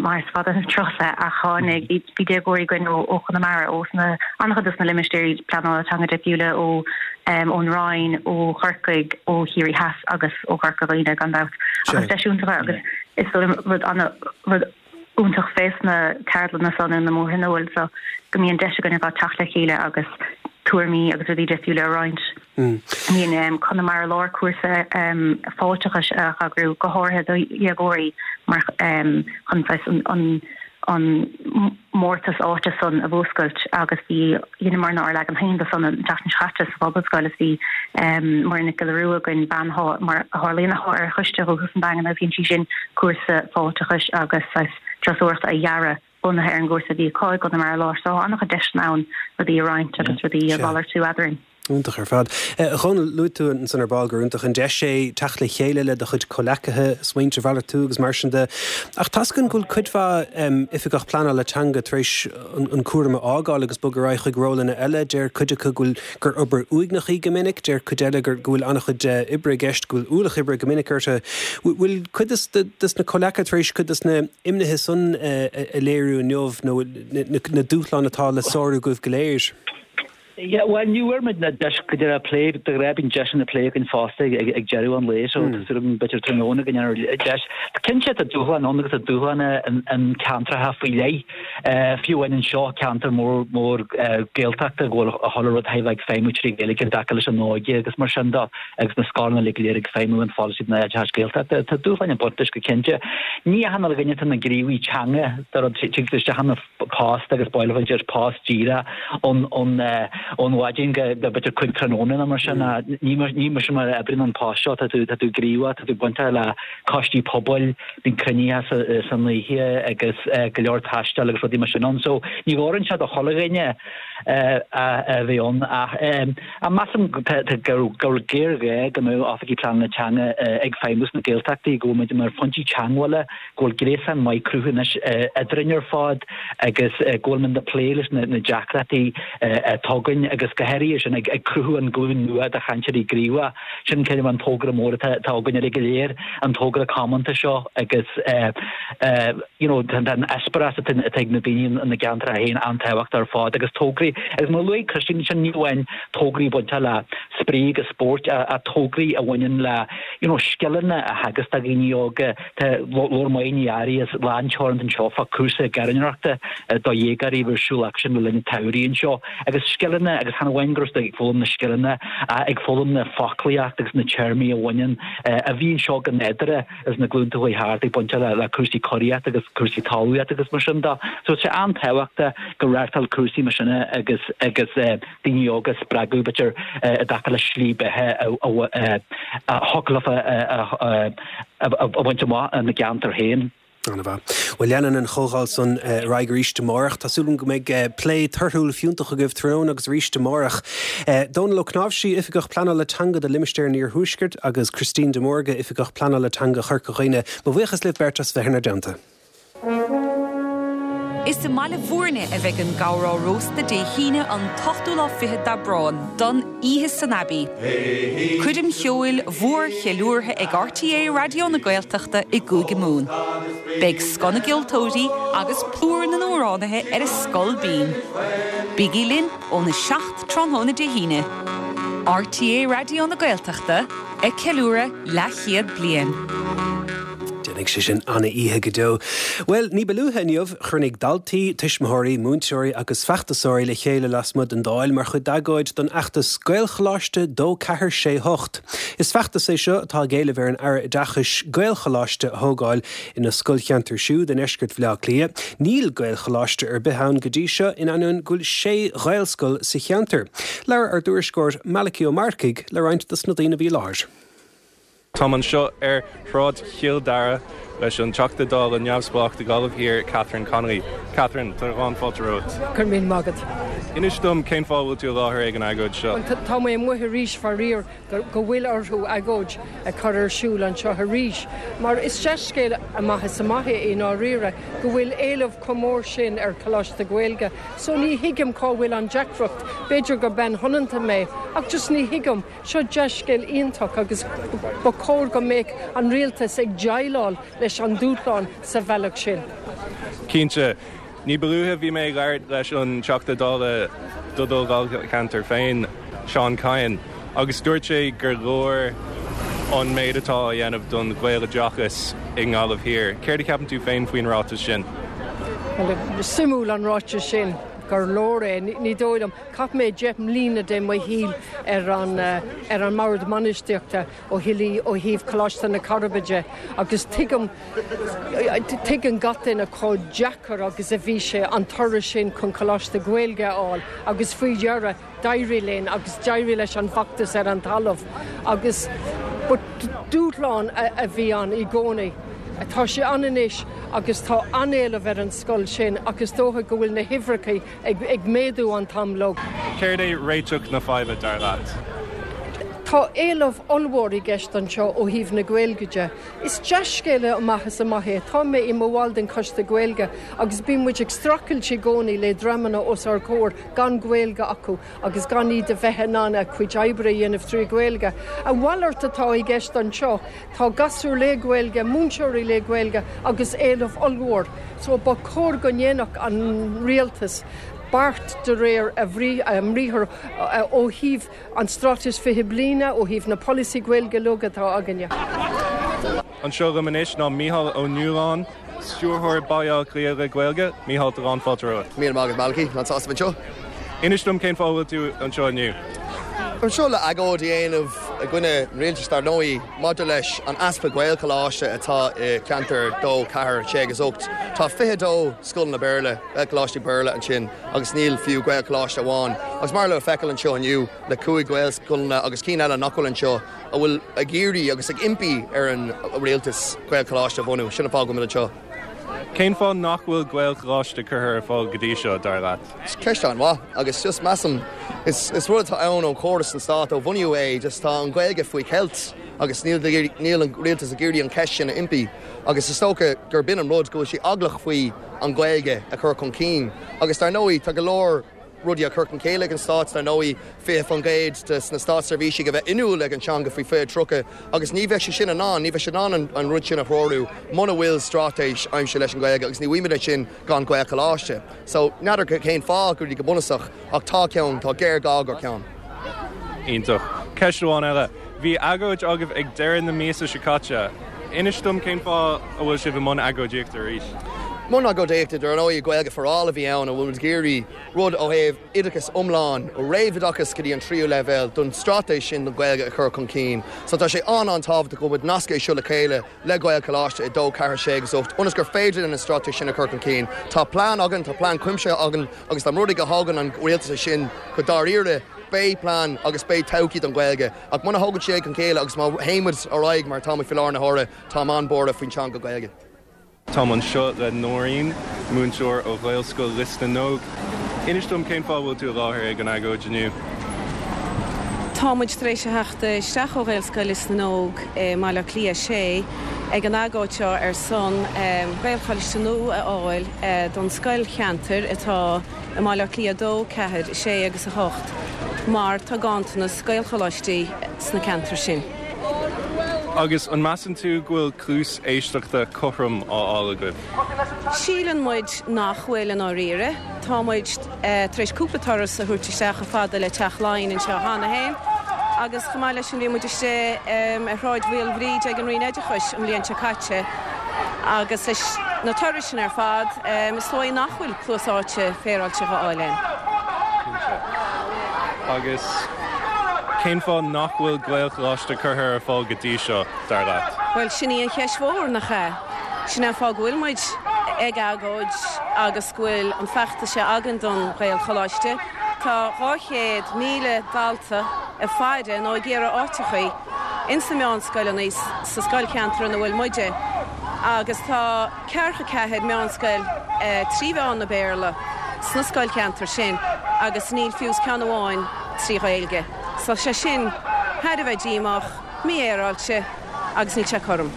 mar is fada an turas é ach tháinig, bhí déagóirí againn ó Chonamara, ó sna, an-chuid dos na limistéirí pleanála teanga difriúla, ó ón Rinn, ó Chorcaigh, ó Chiarraí Theas agus ó Chorca Dhuibhne gan dabht. Ach is deis iontach é agus is dóigh liom rud ana, rud iontach fés na ceardlanna so nó na mórthionóil so go mbíonn deis againn ar fad teacht le chéile agus tuairimí agus rudaí difriúla a roinnt. Bíonn Conamara Láir cúrsa fáilteachais a eagrú go háirithe do dhéagóirí mar chun saghas an an mórtas áite san a mhúscailt agus bhí dheineamarna ár leagan féin de san an tseachtain seo chaite sa Phobalscoil is bhí Muireann Nic Giolla Rua againn, bean atá, mar a tharlaíonn, atá ar choiste Dhúchas an Daingin agus dhein sí sin cúrsa fáilteachais agus saghas turasóireachta a dhearadh bunaithe ar an gcúrsa a bhí acu i gConamara Láir. So tá an-chuid deiseanna ann rudaí a roinnt agus rudaí a mhalartú eadrainn. Iontach ar fad. A Dhónaill, luaigh tú ansan ar ball gur iontach an deis é teacht le chéile le do chuid comhleacaithe, smaointe a mhalartú agus mar sin de. Ach tá's againn go bhfuil cuid mhaith oifigeach pleanála teanga tar éis an cúram a fhágáil agus bogadh ar aghaidh chuig rólanna eile. Deir cuid acu go bhfuil gur obair uaigneach í go minic, deir cuid eile go bhfuil an-chuid oibre i gceist, go bhfuil ualach oibre go minic orthu. Bhfuil cuid des na comhleacaithe tar éis cuid des na imnithe san a léiriú inniu nó na dúshláin atá le sárú agaibh go léir? Yeah, bhuel, ní bhfuair muid na deis go deireadh plé, de ghnáth bíonn deiseanna plé againn fosta ag deireadh an lae, so tá súil agam b'fhéidir tráthnóna go ndéanfar deis. Cinnte tá dúshláin ann agus tá dúshláin in ceantracha faoi leith, fiú amháin anseo, ceantar mór mór Gaeltachta go bhfuil chuile rud thar a bheith ag feidhmiú trí Ghaeilge i dtaca leis an óige agus mar sin de agus na scoileanna uilig go léir ag feidhmiú an pholasaí den oideachais Gaeltachta. Tá dúshláin ag baint leis go cinnte. Ní achan duine atá ina ghníomhaí teanga, do rud, tig isteach ina post agus ba mhaith leo post díreach ón ón mhaidin go b'fhéidir 5 tráthnóna nó mar sin. Ní mar sin mar a oibríonn an post seo, tá tú tá tú gníomhach, tá tú bainteach le coistí pobail, bíonn cruinnithe san oíche agus go leor taistil agus rudaí mar sin ann. So ní fhóireann sé do chuile dhuine a bheith ann ach measaim go bhfuil géarghá go mbeadh oifigigh pleanála teanga ag feidhmiú sna Gaeltachtaí, go bhfuil muid mar phointí teagmhála go bhfuil gréasán maith cruthaithe anois eadrainn ar fad agus go bhfuil muid ag plé leis na deacrachtaí atá againn agus go háirithe sin ag cruthú an glúin nua de chainteoirí gníomhacha. Sin cineál an togra mór atá againn uilig go léir, an togra comónta seo agus you know tá an eispéireas atá ag na daoine ina gceantracha féin an-tábhachtach ar fad agus tograí agus mar a luaigh Christine sin ní amháin tograí bainteach le spraoi agus spóirt ach tograí a bhaineann le you know scileanna a theagasc do dhaoine óga Tá labhair Máire Ní Fhearraigh as Lán Teoranta anseo fá cúrsa gairneoireachta do dhéagóirí a bhí ar siúl acu le linn an tsamhraidh anseo agus scileanna agus chan amháin go raibh siad ag foghlaim na scileanna ach ag foghlaim na foclaíocht agus na téarmaí a bhaineann a bhí anseo go nádúrtha as na glúnta a chuaigh thart ag baint le cúrsaí curaíochta agus cúrsaí talmhaíochta agus mar sin de. So tá sé an-tábhachtach go reáchtáil cúrsaí mar sin agus agus daoine óga a spreagadh, b'fhéidir, i dtaca le slí beatha a thiocfadh leofa a bhaint amach ina gceantar féin. An-mhaith. Bhuel, leanann an chomhdháil san ar aghaidh arís amárach. Tá súil agam go mbeidh plé torthúil fiúntach agaibh tráthnóna agus arís amárach. Dónal Ó Cnáimhsí, Oifigeach Pleanála Teanga do Limistéar an Iarthuaiscirt agus Christine de Mórdha, Oifigeach Pleanála Teanga Chorca Dhuibhne, mo bhuíochas libh beirt as bheith inár dteannta. Is i mBaile Bhúirne a bheidh an Gabhrá Rósta Dé hAoine an t-ochtú lá fichead d'Aibreán don Oíche san Abbey. Coirm cheoil mhór cheiliúrtha ag RTÉ Raidió na Gaeltachta i gCúige Mumhan. Beidh scoth na gceoltóirí agus plúr na n-amhránaithe ar a scol binn. Bígí linn óna 7 tráthnóna Dé hAoine. RTÉ Raidió na Gaeltachta ag ceiliúradh leathchéad bliain. Déanfaidh sé sin ana-oíche go deo. Bhuel, ní ba luaithe inniu, chruinnigh daltaí, tuismitheoirí, múinteoirí agus feachtasóirí le chéile lasmuigh den Dáil mar chuid d'agóid don fheachtas Gaelcholáiste 2 4 6 8. Is feachtas é seo atá ag éileamh ar an Aire Oideachais Gaelcholáiste a thógáil ina scoilcheantar siúd i ndeisceart Bhaile Átha Cliath. Níl Gaelcholáiste ar bith ann go dtí seo in ainneoin go bhfuil sé Ghaelscoil sa cheantar. Labhair ár dtuairisceoir Malachy Ó Marcaigh le roinnt dos na daoine a bhí i láthair. Táim anseo ar Shráid Chill Dara leis an Teachta Dála neamhspleách do Ghaillimh Thiar, Catherine Connolly. Catherine, tá lán fáilte romhat. Go raibh míle maith agat. Inis dom cén fáth a bhfuil tú i láthair ag an agóid seo. Bhuel, tá mé amuigh arís, faraor, go bhfuil orthu agóid a chur ar siúl anseo arís, mar is dea-scéal amach is amach é i ndáiríre go bhfuil éileamh chomh mór sin ar Choláiste Gaeilge. So ní thuigim cá bhfuil an deacracht. B'fhéidir gur bean shoineanta mé, ach just ní thuigim. Seo dea-scéal iontach agus ba chóir go mbeadh an rialtas ag déileáil leis an dúshlán sa bhealach sin. Cinnte. Ní ba luaithe bhí mé ag labhairt leis an Teachta Dála do do dháilcheantar féin, Seán Kyne, agus dúirt sé gur leor an méid atá á dhéanamh don Ghaeloideachas i nGaillimh Thiar. Céard a cheapann tú féin faoin ráiteas sin? Bhuel, suimiúil an ráiteas sin, gur leor é. Ní dóigh liom. Chaith mé 10 mbliana de mo shaol ar an ar an mbord bainistíochta ó thaobh ó thaobh Coláiste na Coiribe de agus tuigim tuigeann gach duine chomh deacair agus a bhí sé an turas sin chun Coláiste Gaeilge a fháil agus faoi dheireadh d'éirigh linn agus d'éirigh leis an bhfeachtas ar an talamh agus but dúshlán a bhí ann i gcónaí. Tá sé ann anois agus tá an-éileamh ar an scoil sin ach is dócha go bhfuil na huimhreacha ag méadú an t-am uilig. Céard é réiteach na faidhbe, dar leat? Tá éileamh ollmhór i gceist anseo ó thaobh na Gaeilge de. Is dea-scéala amach is amach é. Tá mé i mo bhall den Choiste Gaeilge agus bíonn muid ag streachailt i gcónaí le dreamanna os ár gcomhair gan Gaeilge acu agus gan iad a bheith in ann a gcuid oibre a dhéanamh trí Ghaeilge. A mhalairt atá i gceist anseo. Tá gasúir le Gaeilge, múinteoirí le Gaeilge agus éileamh ollmhór. So ba chóir go ndéanfadh an rialtas beart de réir a mbriathair ó thaobh an Straitéis 20 Bliana, ó thaobh na polasaí Gaeilge uilig atá againne. Anseo liom anois ná Mícheál Ó Nualláin, Stiúrthóir Baile Átha Cliath le Gaeilge. Mícheál, tá lán fáilte romhat. Míle maith agat Malachy, an-sásta bheith anseo. Inis dom cén fáth a bhfuil tú anseo inniu. Anseo le agóid a dhéanamh i gcoinne an rialtais dar ndóigh maidir leis an easpa Gaelcholáiste atá i gceantar 2, 4, 6 agus 8. Tá 22 scoileanna Béarla, Gaelcholáistí Béarla ansin agus níl fiú Gaelcholáiste amháin. Agus mar le feiceáil anseo inniu le 5 Ghaelscoileanna agus cinn eile nach bhfuil anseo a bhfuil ag iarraidh agus ag impí ar an rialtas Gaelcholáiste a bhunú. Sin an fáth go bhfuil muid anseo. Cén fáth nach bhfuil Gaelcholáiste curtha ar fáil go dtí seo, dar leat? Ceist an-mhaith agus just measaim is is rud atá ann ón chóras san stát ó bunaíodh é just tá an Ghaeilge faoi cheilt agus níl níl an rialtas ag iarraidh an cheist sin a impí agus is dócha gur b'in an rud go bhfuil sé eaglach faoi an Ghaeilge a chur chun cinn agus dar ndóigh tá go leor rudaí á cur chun chéile ag an stát, dar ndóigh, 20% de na státseirbhísigh a bheith inniúil ag an teanga faoi 2030 agus ní bheidh sé sin in ann, ní bheidh sé in ann an rud sin a threorú muna bhfuil straitéis aimsithe leis an Ghaeilge agus ní bhfaighimid é sin gan Gaelcholáiste. So, n'fheadar cén fáth go go bunúsach ach tá ceann, tá géarghá go ceann. Iontach. Ceist amháin eile. Bhí agóid agaibh ag deireadh na míosa seo caite. Inis dom cén fáth a bhfuil sibh i mbun agóidíochta arís? Mbun agóidíochta, dar ndóigh, Gaeilge for All a bhí ann, a bhfuil muid ag iarraidh rud ó thaobh oideachas iomlán, ó réamhoideachas go dtí an tríú leibhéal, don straitéis sin don Ghaeilge a chur chun cinn. So tá sé an-an-tábhachtach go bhfuil muid nasctha é seo le chéile le Gaelcholáiste 2, 4, 6 agus 8 ionas gur féidir linn an straitéis sin a chur chun cinn. Tá plean againn, tá plean cuimsitheach againn agus dá mba rud é go thógann an rialtas é sin go dáiríre, beidh plean agus beidh todhchaí don Ghaeilge. Ach muna thógann sé chun chéile agus má théann muid ar aghaidh mar atá muid faoi láthair na huaire, táim an-buartha faoin teanga Gaeilge. Táim anseo le Nóirín, múinteoir ó Ghaelscoil Lios na nÓg. Inis dom cén fáth a bhfuil tú i láthair ag an agóid inniu? Tá muid tar éis a theacht isteach ó Ghaelscoil Lios na nÓg i mBaile Átha Cliath 6 ag an agóid seo ar son Gaelcholáiste nua a fháil don scoilcheantar atá i mBaile Átha Cliath 2, 4, 6 agus 8 mar tá ganntanas Gaelcholáistí sna ceantair sin. Agus an measann tú go bhfuil cluas éisteachta cothrom á fháil agaibh? Síleann muid nach bhfuil i ndáiríre. Tá muid tar éis cúpla turas a thabhairt isteach chomh fada le Teach Laighean anseo cheana féin agus chomh maith leis sin bhí muid istigh ar Shráid Mhaoilbhríde ag an Roinn Oideachais an bhliain seo caite agus leis na turais sin ar fad is dóigh nach bhfuil cluas áite féaráilte á fháil againn. Cinnte. Agus cén fáth nach bhfuil Gaelcholáiste curtha ar fáil go dtí seo, dar leat? Bhuel, sin í an cheist mhór, nach ea? Sin é an fáth go bhfuil muid ag agóid agus go bhfuil an feachtas seo againn don Ghaelcholáiste. Tá 200,000 dalta ag faire nó ag iarraidh áiteachaí ins na meánscoileanna sa scoilcheantar ina bhfuil muide agus tá ceathracha ceathair meánscoil trí mheán na Béarla sna scoilcheantair sin agus níl fiú is ceann amháin trí Ghaeilge. So sé sin thar a bheith díomách, mífhéaráilte agus níl sé cothrom.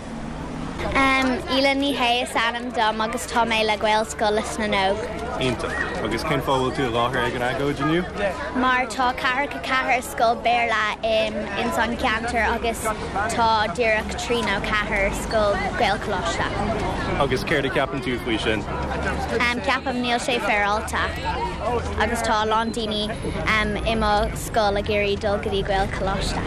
Aoileann Ní Shé is ainm dom agus tá mé le Gaelscoil Lios na nÓg. Iontach. Agus cén fáth a bhfuil tú i láthair ag an agóid inniu? Mar tá ceathracha ceathair scoil Béarla ins an ceantar agus tá díreach trí nó ceathair scoil Gaelcholáiste. Agus céard a cheapann tú faoi sin? Ceapaim níl sé féaráilte agus tá a lán daoine i mo scoil ag iarraidh dul go dtí Gaelcholáiste.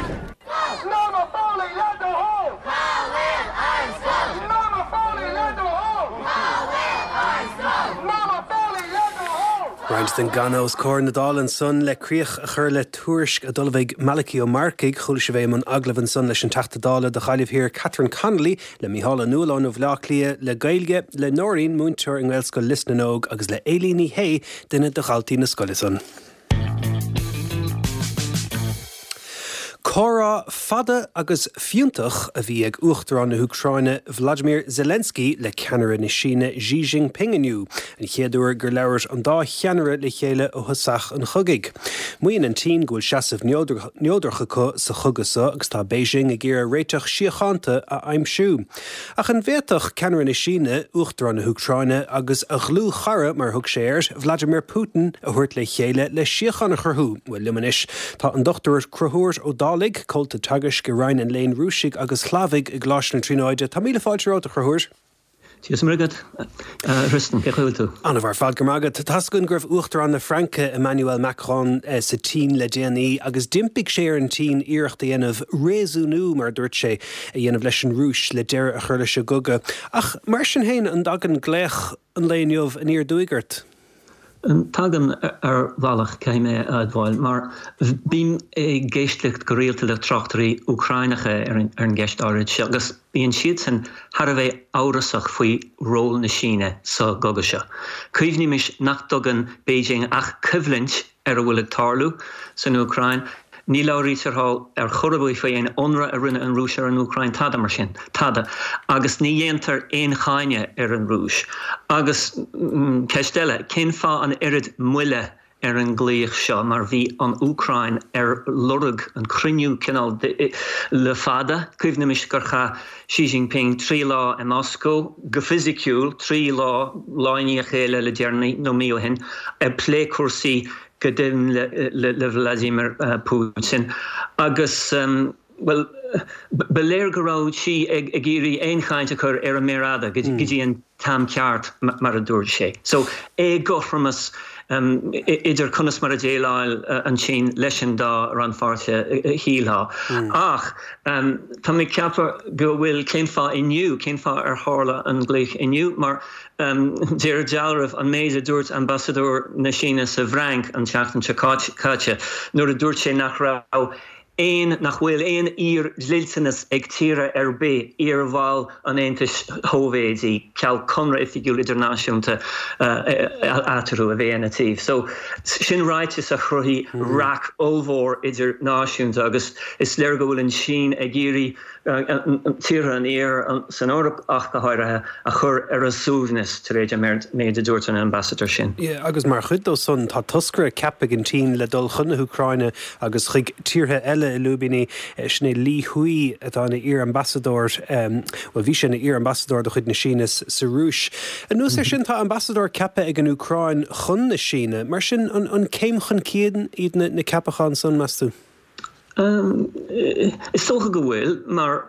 Norma Foley le do thoil! Cá bhfuil ár scoil? Norma Foley le do thoil! Cá bhfuil ár scoil? Norma Foley le do thoil! Roinnt den gcanadh os comhair na Dála ansan le críoch a chur le tuairisc a d'ullmhaigh Malachy Ó Marcaigh. Chuala sibh é i mbun agallaimh ansan leis an Teachta Dála do Ghaillimh Thiar Catherine Connolly, le Mícheál Ó Nualláin ó Bhaile Átha Cliath le Gaeilge, le Nóirín, múinteoir i nGaelscoil Lios na nÓg agus le Éilín Ní Shé, duine de dhaltaí na scoile san. Comhrá fada agus fiúntach a bhí ag Uachtarán na hÚcráine Vladimir Zelensky le ceannaire na Síne Xi Jinping inniu, an chéad uair gur labhair an dá cheannaire le chéile ó thosach an chogaidh. Maíonn an tSín go bhfuil seasamh neodrach acu sa chogadh seo agus tá Beijing ag iarraidh réiteach síochánta a aimsiú. Ach an bhféadfadh ceannaire na Síne, Uachtarán na hÚcráine agus a dhlúthchara, mar a thug sé air, Vladimir Putin, a thabhairt le chéile le síocháin a chruthú? Bhuel, liom anois tá an Dr Conchúr Ó Dálaigh, Comhalta Teagaisc i Roinn an Léinn Rúisigh agus Shlavaigh i gColáiste na Tríonóide. Tá míle fáilte romhat, a Chonchúir. Dia is Muire agat, a Thristan. Cén chaoi a bhfuil tú? An-mhaith ar fad, go raibh maith agat. Tá's againn go raibh Uachtarán na Fraince, Emmanuel Macron, sa tSín le déanaí agus d'impigh sé ar an tSín iarracht a dhéanamh réasúnú, mar a dúirt sé, a dhéanamh leis an Rúis le deireadh a chur leis an gcogadh. Ach mar sin féin, an dtagann glaoch an lae inniu aniar aduaidh ort? Tagann, ar bhealach, caithfidh mé a admháil, mar bím ag éisteacht go rialta le tráchtairí Úcráineacha ar an gceist áirid seo agus bíonn siadsan thar a bheith amhrasach faoi ról na Síne sa gcogadh seo. Cuimhnímis nach dtugann Beijing ach coimhlint ar a bhfuil ag tarlú san Úcráin. Ní labhraítear thall ar chor ar bith faoi aon ionradh a rinne an Rúis ar an Úcráin, tada mar sin. Tada. Agus ní dhéantar aon cháineadh ar an Rúis. Agus ceist eile, cén fáth an oiread moille ar an nglaoch seo mar bhí an Úcráin ar lorg an cruinniú cineál le fada. Cuimhnímis gur chaith Xi Jinping 3 lá i Moscó, go fisiciúil, 3 lá, lá i ndiaidh a chéile le deireanaí, nó mí ó shin, ag plé cúrsaí go deimhin le Vladimir Putin. Agus, bhuel, ba léir go raibh Xi ag iarraidh aon chaint a chur ar an méar fhada go dtí an t-am ceart, mar a dúirt sé. So, éagothromas idir conas mar a dhéileáil an tSín leis an dá rannpháirtithe, shílfeá. Ach tá mé ag ceapadh go bhfuil, cén fáth inniu, cén fáth ar tharla an glaoch inniu? Mar de réir dealraimh, an méid a dúirt ambasadóir na Síne sa bhFrainc an tseachtain seo caite, nuair a dúirt sé nach raibh aon nach bhfuil aon fhíor-dhliteanas ag tíortha ar bith iar-bhaill an Aontais Shóivéadaigh, ceal conradh oifigiúil idirnáisiúnta eatarthu, a bheith ina taobh. So, sin ráiteas a chruthaigh raic ollmhór idirnáisiúnta agus is léir go bhfuil an tSín ag iarraidh tíortha an Iarthair, san Eoraip ach go háirithe, a chur ar a suaimhneas tar éis an méid a dúirt an ambasadóir sin. Agus mar chuid dó san, tá toscaire ceaptha ag an tSín le dul chun na hÚcráine agus chuig tíortha eile i lúibíní. Sin é Li Hui atá ina iar-ambasadóir, bhuel bhí sé ina iar-ambasadóir de chuid na Síne sa Rúis. Anuas air sin, tá ambasadóir ceaptha ag an Úcráin chun na Síne. Mar sin, an céim chun cinn iad na ceapacháin san, meas tú? Is dócha go bhfuil, mar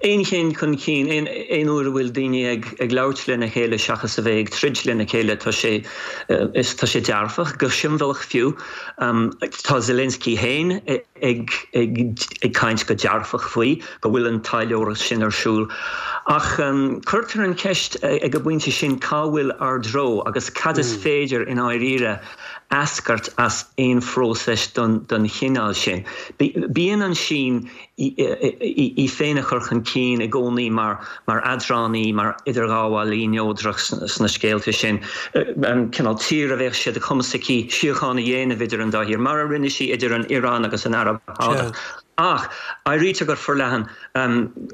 aon chéim chun cinn, aon uair a bhfuil daoine ag labhairt lena chéile seachas a bheith ag troid lena chéile, tá sé, tá sé dearfach, go siombalach fiú. Tá Zelensky féin ag ag caint go dearfach faoi, go bhfuil an taidhleoireacht sin ar siúl. Ach cuirtear an cheist ag an bpointe sin cá bhfuil ár dtreo agus cad is féidir i ndáiríre eascairt as aon phróiseas den chineál sin. Bíonn an tSín í féin a chur chun cinn i gcónaí mar eadránaí, mar idirghabhálaí neodrach sna scéalta sin, an cineál tír a bheadh sé de chumas aici síocháin a dhéanamh idir an dá thír, mar a rinne sí idir an Iaráin agus an Araib Shádach. Ach áirítear go forleathan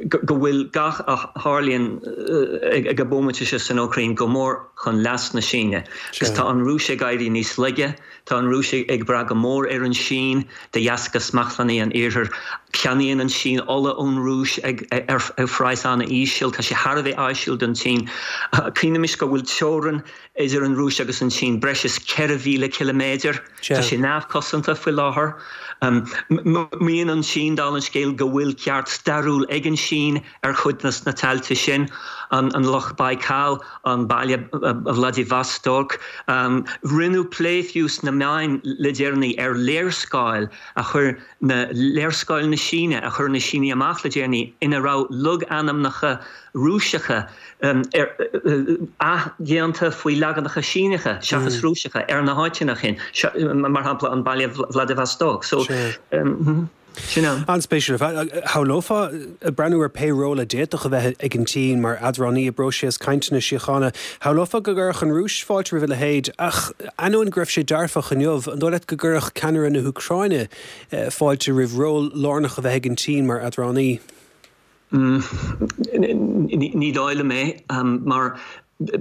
go bhfuil gach a tharlaíonn ag an bhomaite seo san Úcráin go mór chun leas na Síne. Agus tá an Rúis ag éirí níos laige, tá an Rúis ag brath go mór ar an Sín de dheasca smachtbhannaí an Iarthair. Ceannaíonn an tSín ola ón Rúis ag ar phraghas an-íseal, tá sé thar a bheith áisiúil don tSín. Cuimhnímis go bhfuil teorainn idir an Rúis agus an tSín breis is 4,000 ciliméadar. Tá sé neamhchosanta faoi láthair. Maíonn an tSín, dála an scéil, go bhfuil ceart stairiúil ag an tSín ar chuid de na tailte sin, an Loch Baikal, an baile Vladivostok. Rinneadh plé fiú sna meáin le deireanaí ar léarscáil a chuir na léarscáil na Síne a chuir na Sínigh amach le deireanaí ina raibh logainmneacha Rúiseacha athdhéanta faoi leaganacha Síneacha seachas Rúiseacha ar na háiteanna sin, mar shampla an baile Vladivostok. So. Sin é. An-spéisiúil ar fad. Shamhlófá, ag breathnú ar pé ról a d'fhéadfadh a bheith ag an tSín mar eadránaí i bpróiseas cainteanna síochána, shamhlófá go gcuirfeadh an Rúis fáilte roimh a leithéid. Ach ainneoin go raibh sé dearfach inniu, an dóigh leat go gcuirfeadh ceannaire na hÚcráine fáilte roimh ról lárnach a bheith ag an tSín mar eadránaí? Ní dóigh liom é, mar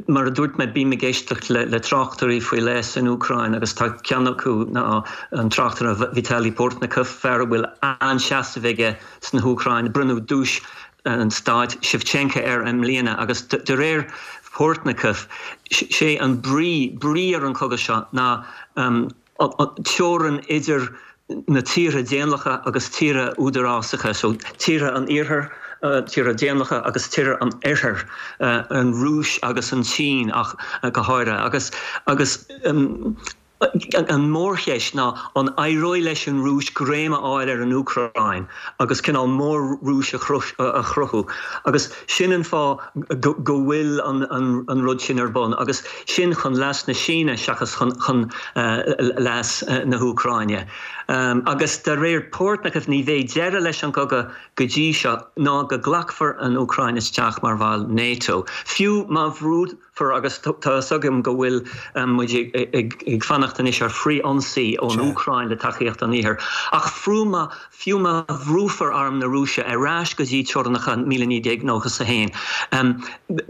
mar a dúirt mé, bím ag éisteacht le tráchtairí faoi leith san Úcráin agus tá ceann acu ná an tráchtaire Vitaly Portnikov, fear a bhfuil an-seasamh aige sna hÚcráin. Bronnadh duais an stáit Shevchenko air i mbliana agus de réir Portnikov, sé an brí brí ar an chogadh seo ná teorainn idir na tíortha daonlathacha agus tíortha údarásacha, so tíortha an iarthair, tíortha daonlathacha agus tíortha an oirthir, an Rúis agus an tSín ach go háirithe. Agus agus an mhórcheist ná an éireoidh leis an Rúis greim a fháil ar an Úcráin agus cineál mór-Rúis a chruthú. Agus sin an fáth go bhfuil an rud sin ar bun agus sin chun leas na Síne seachas chun leas na hÚcráine. Agus de réir Portnikov ní bheidh deireadh leis an gcogadh go dtí seo ná go nglacfar an Úcráin isteach mar bhall NATO. Fiú má bhrúfar, agus tá fhios agam go bhfuil muid ag fanacht anois ar frith-ionsaí ón Úcráin le tacaíocht an Iarthair, ach fiú má Fiú má bhrúfar arm na Rúise ar ais go dtí teorainneacha 1991,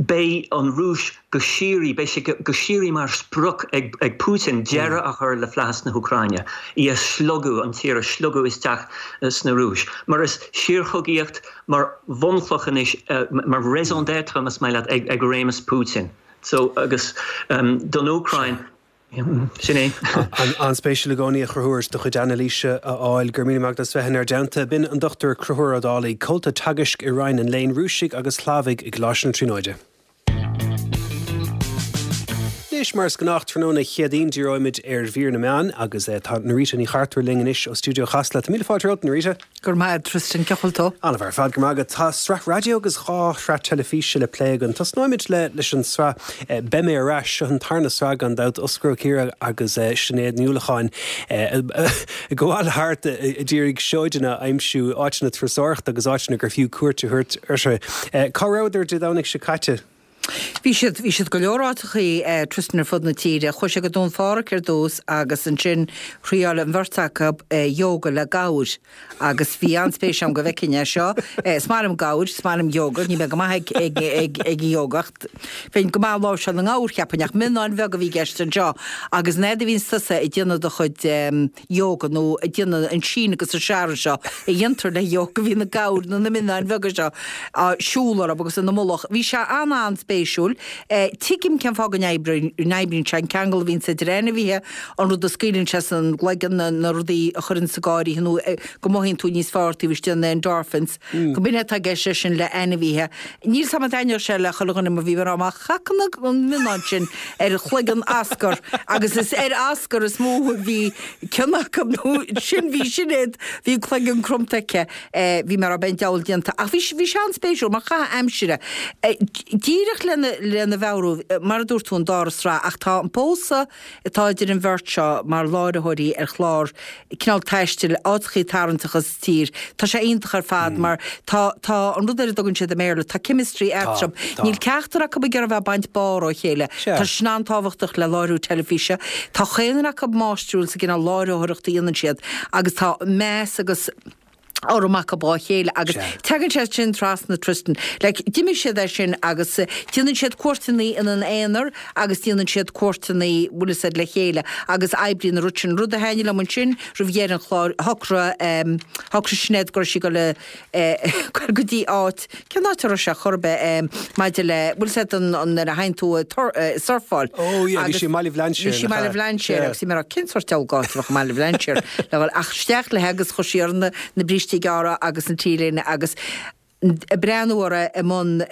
beidh an Rúis go síoraí, beidh sé go síoraí mar sprioc ag Putin deireadh a chur le flaitheas na hÚcráine, í a shlogadh, an tír a shlogadh isteach sna Rúis. Mar is síorchogaíocht mar bhunchloch anois, mar raison d'être, más maith leat, ag réimeas Putin. So, agus don Úcráin, Sin é. An-spéisiúil i gcónaí a Chonchúir do chuid anailíse a fháil. Go raibh míle maith agat as bheith inár dteannta. B'in an Dr Conchúr Ó Dálaigh, Comhalta Teagaisc i Roinn an Léinn Rúisigh agus Shlavaigh i gColáiste na Tríonóide. Anois, mar is gnách tráthnóna Chéadaoin, díreoimid ar mhír na meán agus tá Norita Ní Chartúir linn anois ó Stiúideo Chasla. Tá míle fáilte romhat, Norita. Go raibh maith agat, Tristan. Cén chaoi a bhfuil tú? An-mhaith ar fad, go raibh maith agat. Tá sraith raidió agus 2 shraith teilifíse le plé againn. Tosnóimid le leis an sraith Beidh Mé Ar Ais. Seo an tarna sraith gan dabht, Osgur Ó Ciardha agus Sinéad Ní Uallacháin ag gabháil thart ag iarraidh seoideanna a aimsiú, áiteanna turasóireachta agus áiteanna gur fiú cuairt a thabhairt orthu. Cá rabhadar Dé Domhnaigh seo caite? Bhí siad, bhí siad go leor áiteachaí, Tristan, ar fud na tíre. Chuaigh siad go Dún Phádraig ar dtús agus ansin thriáil an bheirt acu yoga le gabhair agus bhí an-spéis agam go bhfeicfinn é seo. Is maith liom gabhair, is maith liom yoga, níl mé go maith ag, ag, ag, ag an yoga ach bheinn go maith ag láimhseáil na ngabhar cheapfainn ach mionnáin bheaga a bhí i gceist anseo agus an fhaid a bhíonns tusa ag déanamh do chuid yoga nó ag déanamh an síneadh agus an searradh seo a dhéantar le yoga, bhí na gabhair nó na mionnáin bheaga seo á siúl orthu agus ina mullach. Bhí sé an-an-spéisiúil. Tuigim cén fáth go n-oibríonn sé, an ceangal a bhíonns idir ainmhithe, an rud a scaoileann sé san gcloigeann, na rudaí a chuireann ag gáire nó go mothaíonn tú níos fearr taobh istigh, na endorphins, go b'in é atá i gceist leis sin le ainmhithe. Níl 's a'm an dtaitneodh sé le chuile dhuine mar bhí mé ag rá má chacann an mionnán sin ar chloigeann Oscar agus is ar Oscar is mó a bhí cion acu nó sin bhí Sinéad bhí an cloigeann cromta aici bhí mé ag rá beidh an diabhal déanta ach bhí bhí sé an-spéisiúil mar chaitheamh aimsire. Díreach lena lena mheabhrú mar a dúirt tú an dara sraith ach tá an pósadh atá idir an bheirt seo mar láithreoirí ar chlár cineál taistil, áiteachaí tarraingteacha sa tír. Tá sé iontach ar fad mar tá, tá an rud ar a dtugann siad i mBéarla, tá chemistry eatarthu. Níl ceachtar acu ag iarraidh a bheith ag baint barr ó chéile. Tá sin an-tábhachtach le láithriú teilifíse. Tá chaon duine acu máistriúil sa gcineál láithreoireachta a dhéanann siad agus tá meas agus urraim acu dá chéile agus tagann sé sin trasna Tristan. Like, d'imigh siad as sin agus déanann siad cuairteanna ina n-aonar agus déanann siad cuairteanna, bhfuil fhios a'd, le chéile agus oibríonn an rud sin. Rud a thaitnigh liom ansin roimh dheireadh an chláir, shocraigh, em, shocraigh Sinéad go raibh sí ag dul a, eh, dul go dtí áit, cén áit a raibh sé chor ar bith, em, maidir le, bhfuil fhios a'd an, an, nuair a théann tú ag tor, eh, surfáil. Oh yeah, bhí sí i mBaile Bhlainséir, Bhí sí i mBaile Bhlainséir agus bhí mé ag rá cén sórt diabhal áit a bheadh i mBaile Bhlainséir le dhul ach isteach léi agus chuir sí uirthi na, na brístí gearra agus an T-léine agus. Ag breathnú uirthi i mbun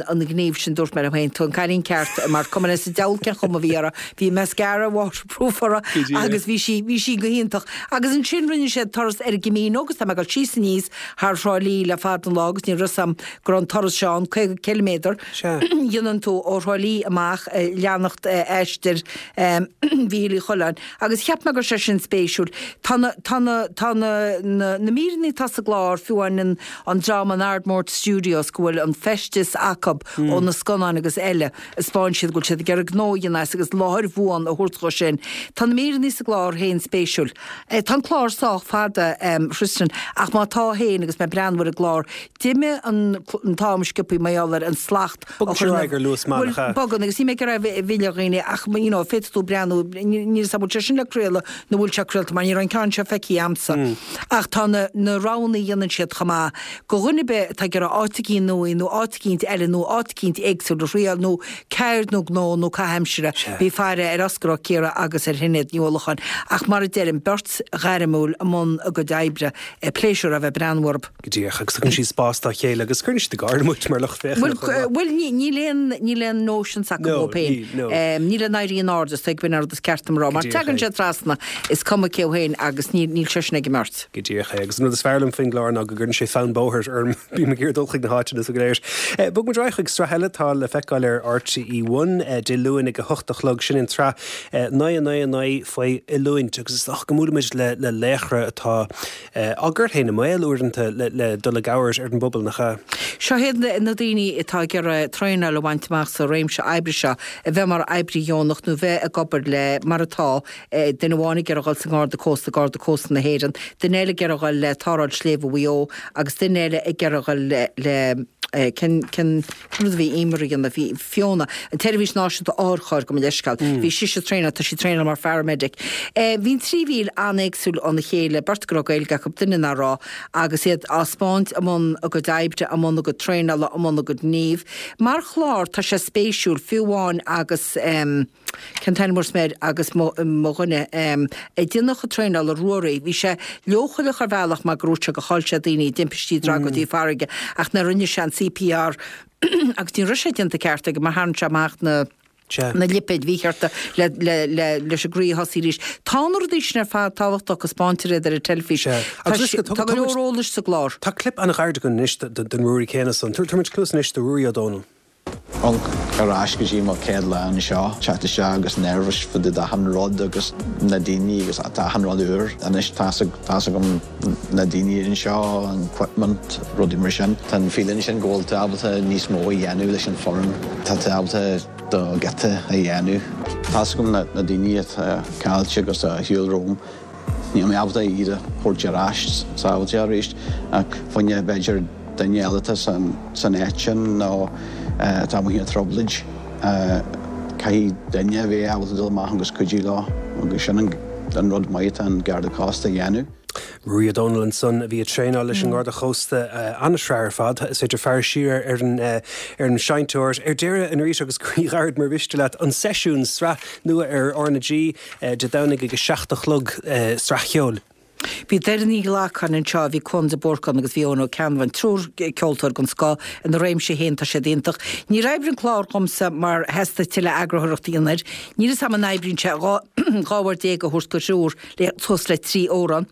an ghnímh sin dúirt mé liom féin, tú an cailín ceart mar cuma leis an diabhal cén chuma a bhí uirthi, bhí mascara waterproof uirthi agus bhí sí, bhí sí go hiontach. Agus ansin rinne siad turas ar an gCamino agus tá mé ag dul síos aníos thar Thrá Lí le fada an lá agus ní raibh fhios a'm go raibh an turas seo ann, 50 ciliméadar, dhéanann tú ó Thrá Lí amach leanacht aistear Mhíchíl Uí Choileáin. Agus cheap mé go raibh sé sin spéisiúil. Tá na, tá na, tá na, na, na míreanna atá sa gclár, fiú amháin an, an dream in Ardmore Studios go bhfuil an feisteas acub ó na scannáin agus eile, a 'spáin siad go bhfuil siad ag iarraidh gnó a dhéanamh as agus láthair bhuan a thabhairt dhó sin. Tá na míreanna sa gclár féin spéisiúil. Tá an clár sách fada, Tristan, ach má tá féin agus mé ag breathnú ar an gclár, d'imigh an t-am sciobthaí mar gheall ar an slacht Bogann sé ar aghaidh ar luas mall, nach ea? Bogann, agus níl mé ag iarraidh a mhilleadh dhaoine ach, you know, féadfaidh tú breathnú, níl fhios agam bhfuil sé sin le craoladh nó bhfuil sé craolta mar ní raibh an ceann seo feicthe a'msa. Ach tá na, na roghanna a dhéanann siad chomh maith do dhuine ar bith atá ag iarraidh áit eicínt nua nó áit eicínt eile nó áit eicínt éagsúil a thriail nó ceird nó gnó nó caitheamh aimsire, bí faire ar Osgur Ó Ciardha agus ar Shinéad Ní Uallacháin. Ach mar a deirim, beirt ghairmiúil i mbun a gcuid oibre, pléisiúr a bheith ag breathnú orthu. Go díreach, agus tugann siad spás dá chéile agus cuireann siad ag gáire muid mar lucht féachana chomh maith. Bhuel, níl aon, níl aon notion s'acu dóibh féin. No, níl, no. Níl aon éirí in airde, is dóigh, b'in an rud is ceart dom a rá. Mar tagann sé trasna, is cuma cé féin agus níl, níl sé sin ag an mbeirt. Go díreach é. Agus an rud is fearr liom faoin gclár ná go gcuireann sé fonn bóthair orm. Bím ag iarraidh dul chuig na háiteanna so go léir. Bog muid ar aghaidh chuig sraith eile atá le feiceáil ar RTÉ One, Dé Luain ag a hocht a chlog. Sin an tsraith 9 9 9 faoi oiliúint agus is dócha go mbuailimid le le laochra atá á gcur féin i mbaol uaireanta le dul i gcabhair ar an bpobal, nach ea? Seo iad na daoine atá ag iarraidh traenáil a bhaint amach sa réimse oibre seo, a bheith mar oibrí dheonach nó bheith ag obair le, mar atá, duine amháin ag iarraidh dhul sa nGarda Cósta, Garda Cósta na hÉireann, duine eile ag iarraidh dhul le Tarrtháil Sléibhe Mhaigh Eo agus duine eile ag iarraidh dhul le, cén, cén, Cén rud a bhí Emer a dhéanamh? Bhí Fiona, an tSeirbhís Náisiúnta Otharchairr, gabh mo leithscéal. Bhí sise ag traenáil, tá sí ag traenáil mar pharamedic. Bhí an trí mhír an-éagsúil óna chéile, beirt go raibh Gaeilge acu, duine nach raibh, agus iad á 'spáint i mbun a gcuid oibre, i mbun a gcuid traenála, i mbun a gcuid gnímh. Mar chlár, tá sé spéisiúil, fiú amháin agus. Cén t-ainm a air agus mo dhuine ag déanamh a chuid traenála, Ruairí, bhí sé leochaileach ar bhealach mar gur dhúirt sé gur chaill sé daoine i dtimpistí tragóidí farraige ach nuair a rinne sé an CPR agus ní raibh sé déanta ceart aige mar tharraing sé amach na na lipéid mhíchearta le le le leis an gcroí a thosaí arís. Tá na rudaí sin ar fad tábhachtach go 'spáintear iad ar an teilifís. Tá go leor eolais sa gclár. Tá clip an-ghairid againn anois den Ruairí céanna san. Tabharfaidh muid cluas anois do Ruairí Ó Dónaill. Amharc ar ais go dtí mo chéad lá anseo, teacht isteach agus nervous fá dtaobh d'achan rud agus na daoine agus tá achan rud úr. Anois tá's tá's agam na daoine anseo, an equipment, rudaí mar sin. Tá an feeling sin go bhfuil tú ábalta níos mó a dhéanamh leis an foireann. Tá tú ábalta do ghiota a dhéanamh. Tá's agam na daoine atá caillte agus ar shiúl romham. Níl mé ábalta iad a thabhairt ar ais sábháilte arís ach fá choinne b'fhéidir duine eile atá san áit sin nó atá amuigh i dtrioblóid, caithfidh duine a bheith ábalta dul amach agus cuidiú leo agus sin an rud maith atá an Garda Cósta a dhéanamh. Ruairí Ó Dónaill ansan a bhí ag traenáil leis an nGarda Chósta. An-sraith ar fad. Is féidir faire siar ar an ar an seinnteoir. Ar deireadh, a Norita agus croí ghairid mar mhiste leat, an seisiún, sraith nua ar RnaG. Dé Domhnaigh ag a 7 a chlog, sraith cheoil. Bhí Doireann Ní Ghlacáin anseo, bhí Cuan de Búrca ann agus bhí Eoin Ó Ceannabháin, triúr ceoltóir den scoth. Ina réimse féin tá siad iontach. Níor oibrigh an clár dhomsa mar theastaigh tuilleadh eagarthóireachta a dhéanamh air. Níl fhios a'm an oibríonn sé 12 uair a thabhairt do thriúr le suas le trí amhrán.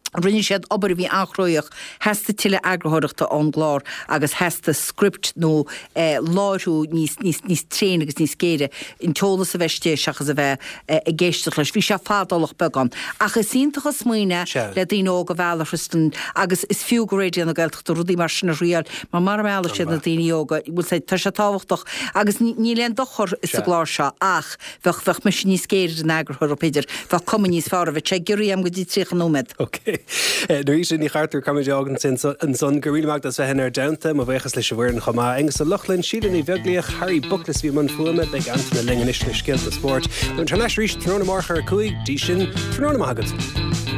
Rinne siad obair a bhí an-chruthaitheach. Theastaigh tuilleadh eagarthóireachta ón gclár agus theastaigh script nó láithriú níos, níos, níos tréine agus níos géire, an t-eolas a bheith istigh seachas a bheith ag éisteacht leis. Bhí sé fadálach beagán. Ach is iontach an smaoineamh é le daoine óga a mhealladh, Tristan, agus is fiú go Raidió na Gaeltachta rudaí mar sin a thriáil mar mara meallfaidh siad na daoine óga, bhfuil sé, tá sé tábhachtach agus níl aon dochar sa gclár seo ach, Bheadh, bheadh mise níos géire ar an eagarthóir, b'fhéidir. Bheadh cuma níos fearr air. Bheadh sé giorraithe agam go dtí 30 nóiméad. Ok. Norita Ní Chartúir, caithfidh muid a fhágaint ansan. Go raibh míle maith agat as bheith inár dteannta. Mo bhuíochas leis an bhfoireann chomh maith. Aonghus Ó Lochlainn, Síle Ní Bheaglaoich, Harry Buckles a bhí i mbun fuaime. Beidh Antaine linn anois le scéalta spóirt. Beimid thar n-ais arís tráthnóna amárach ar a 5. Dtí sin, tráthnóna maith agat.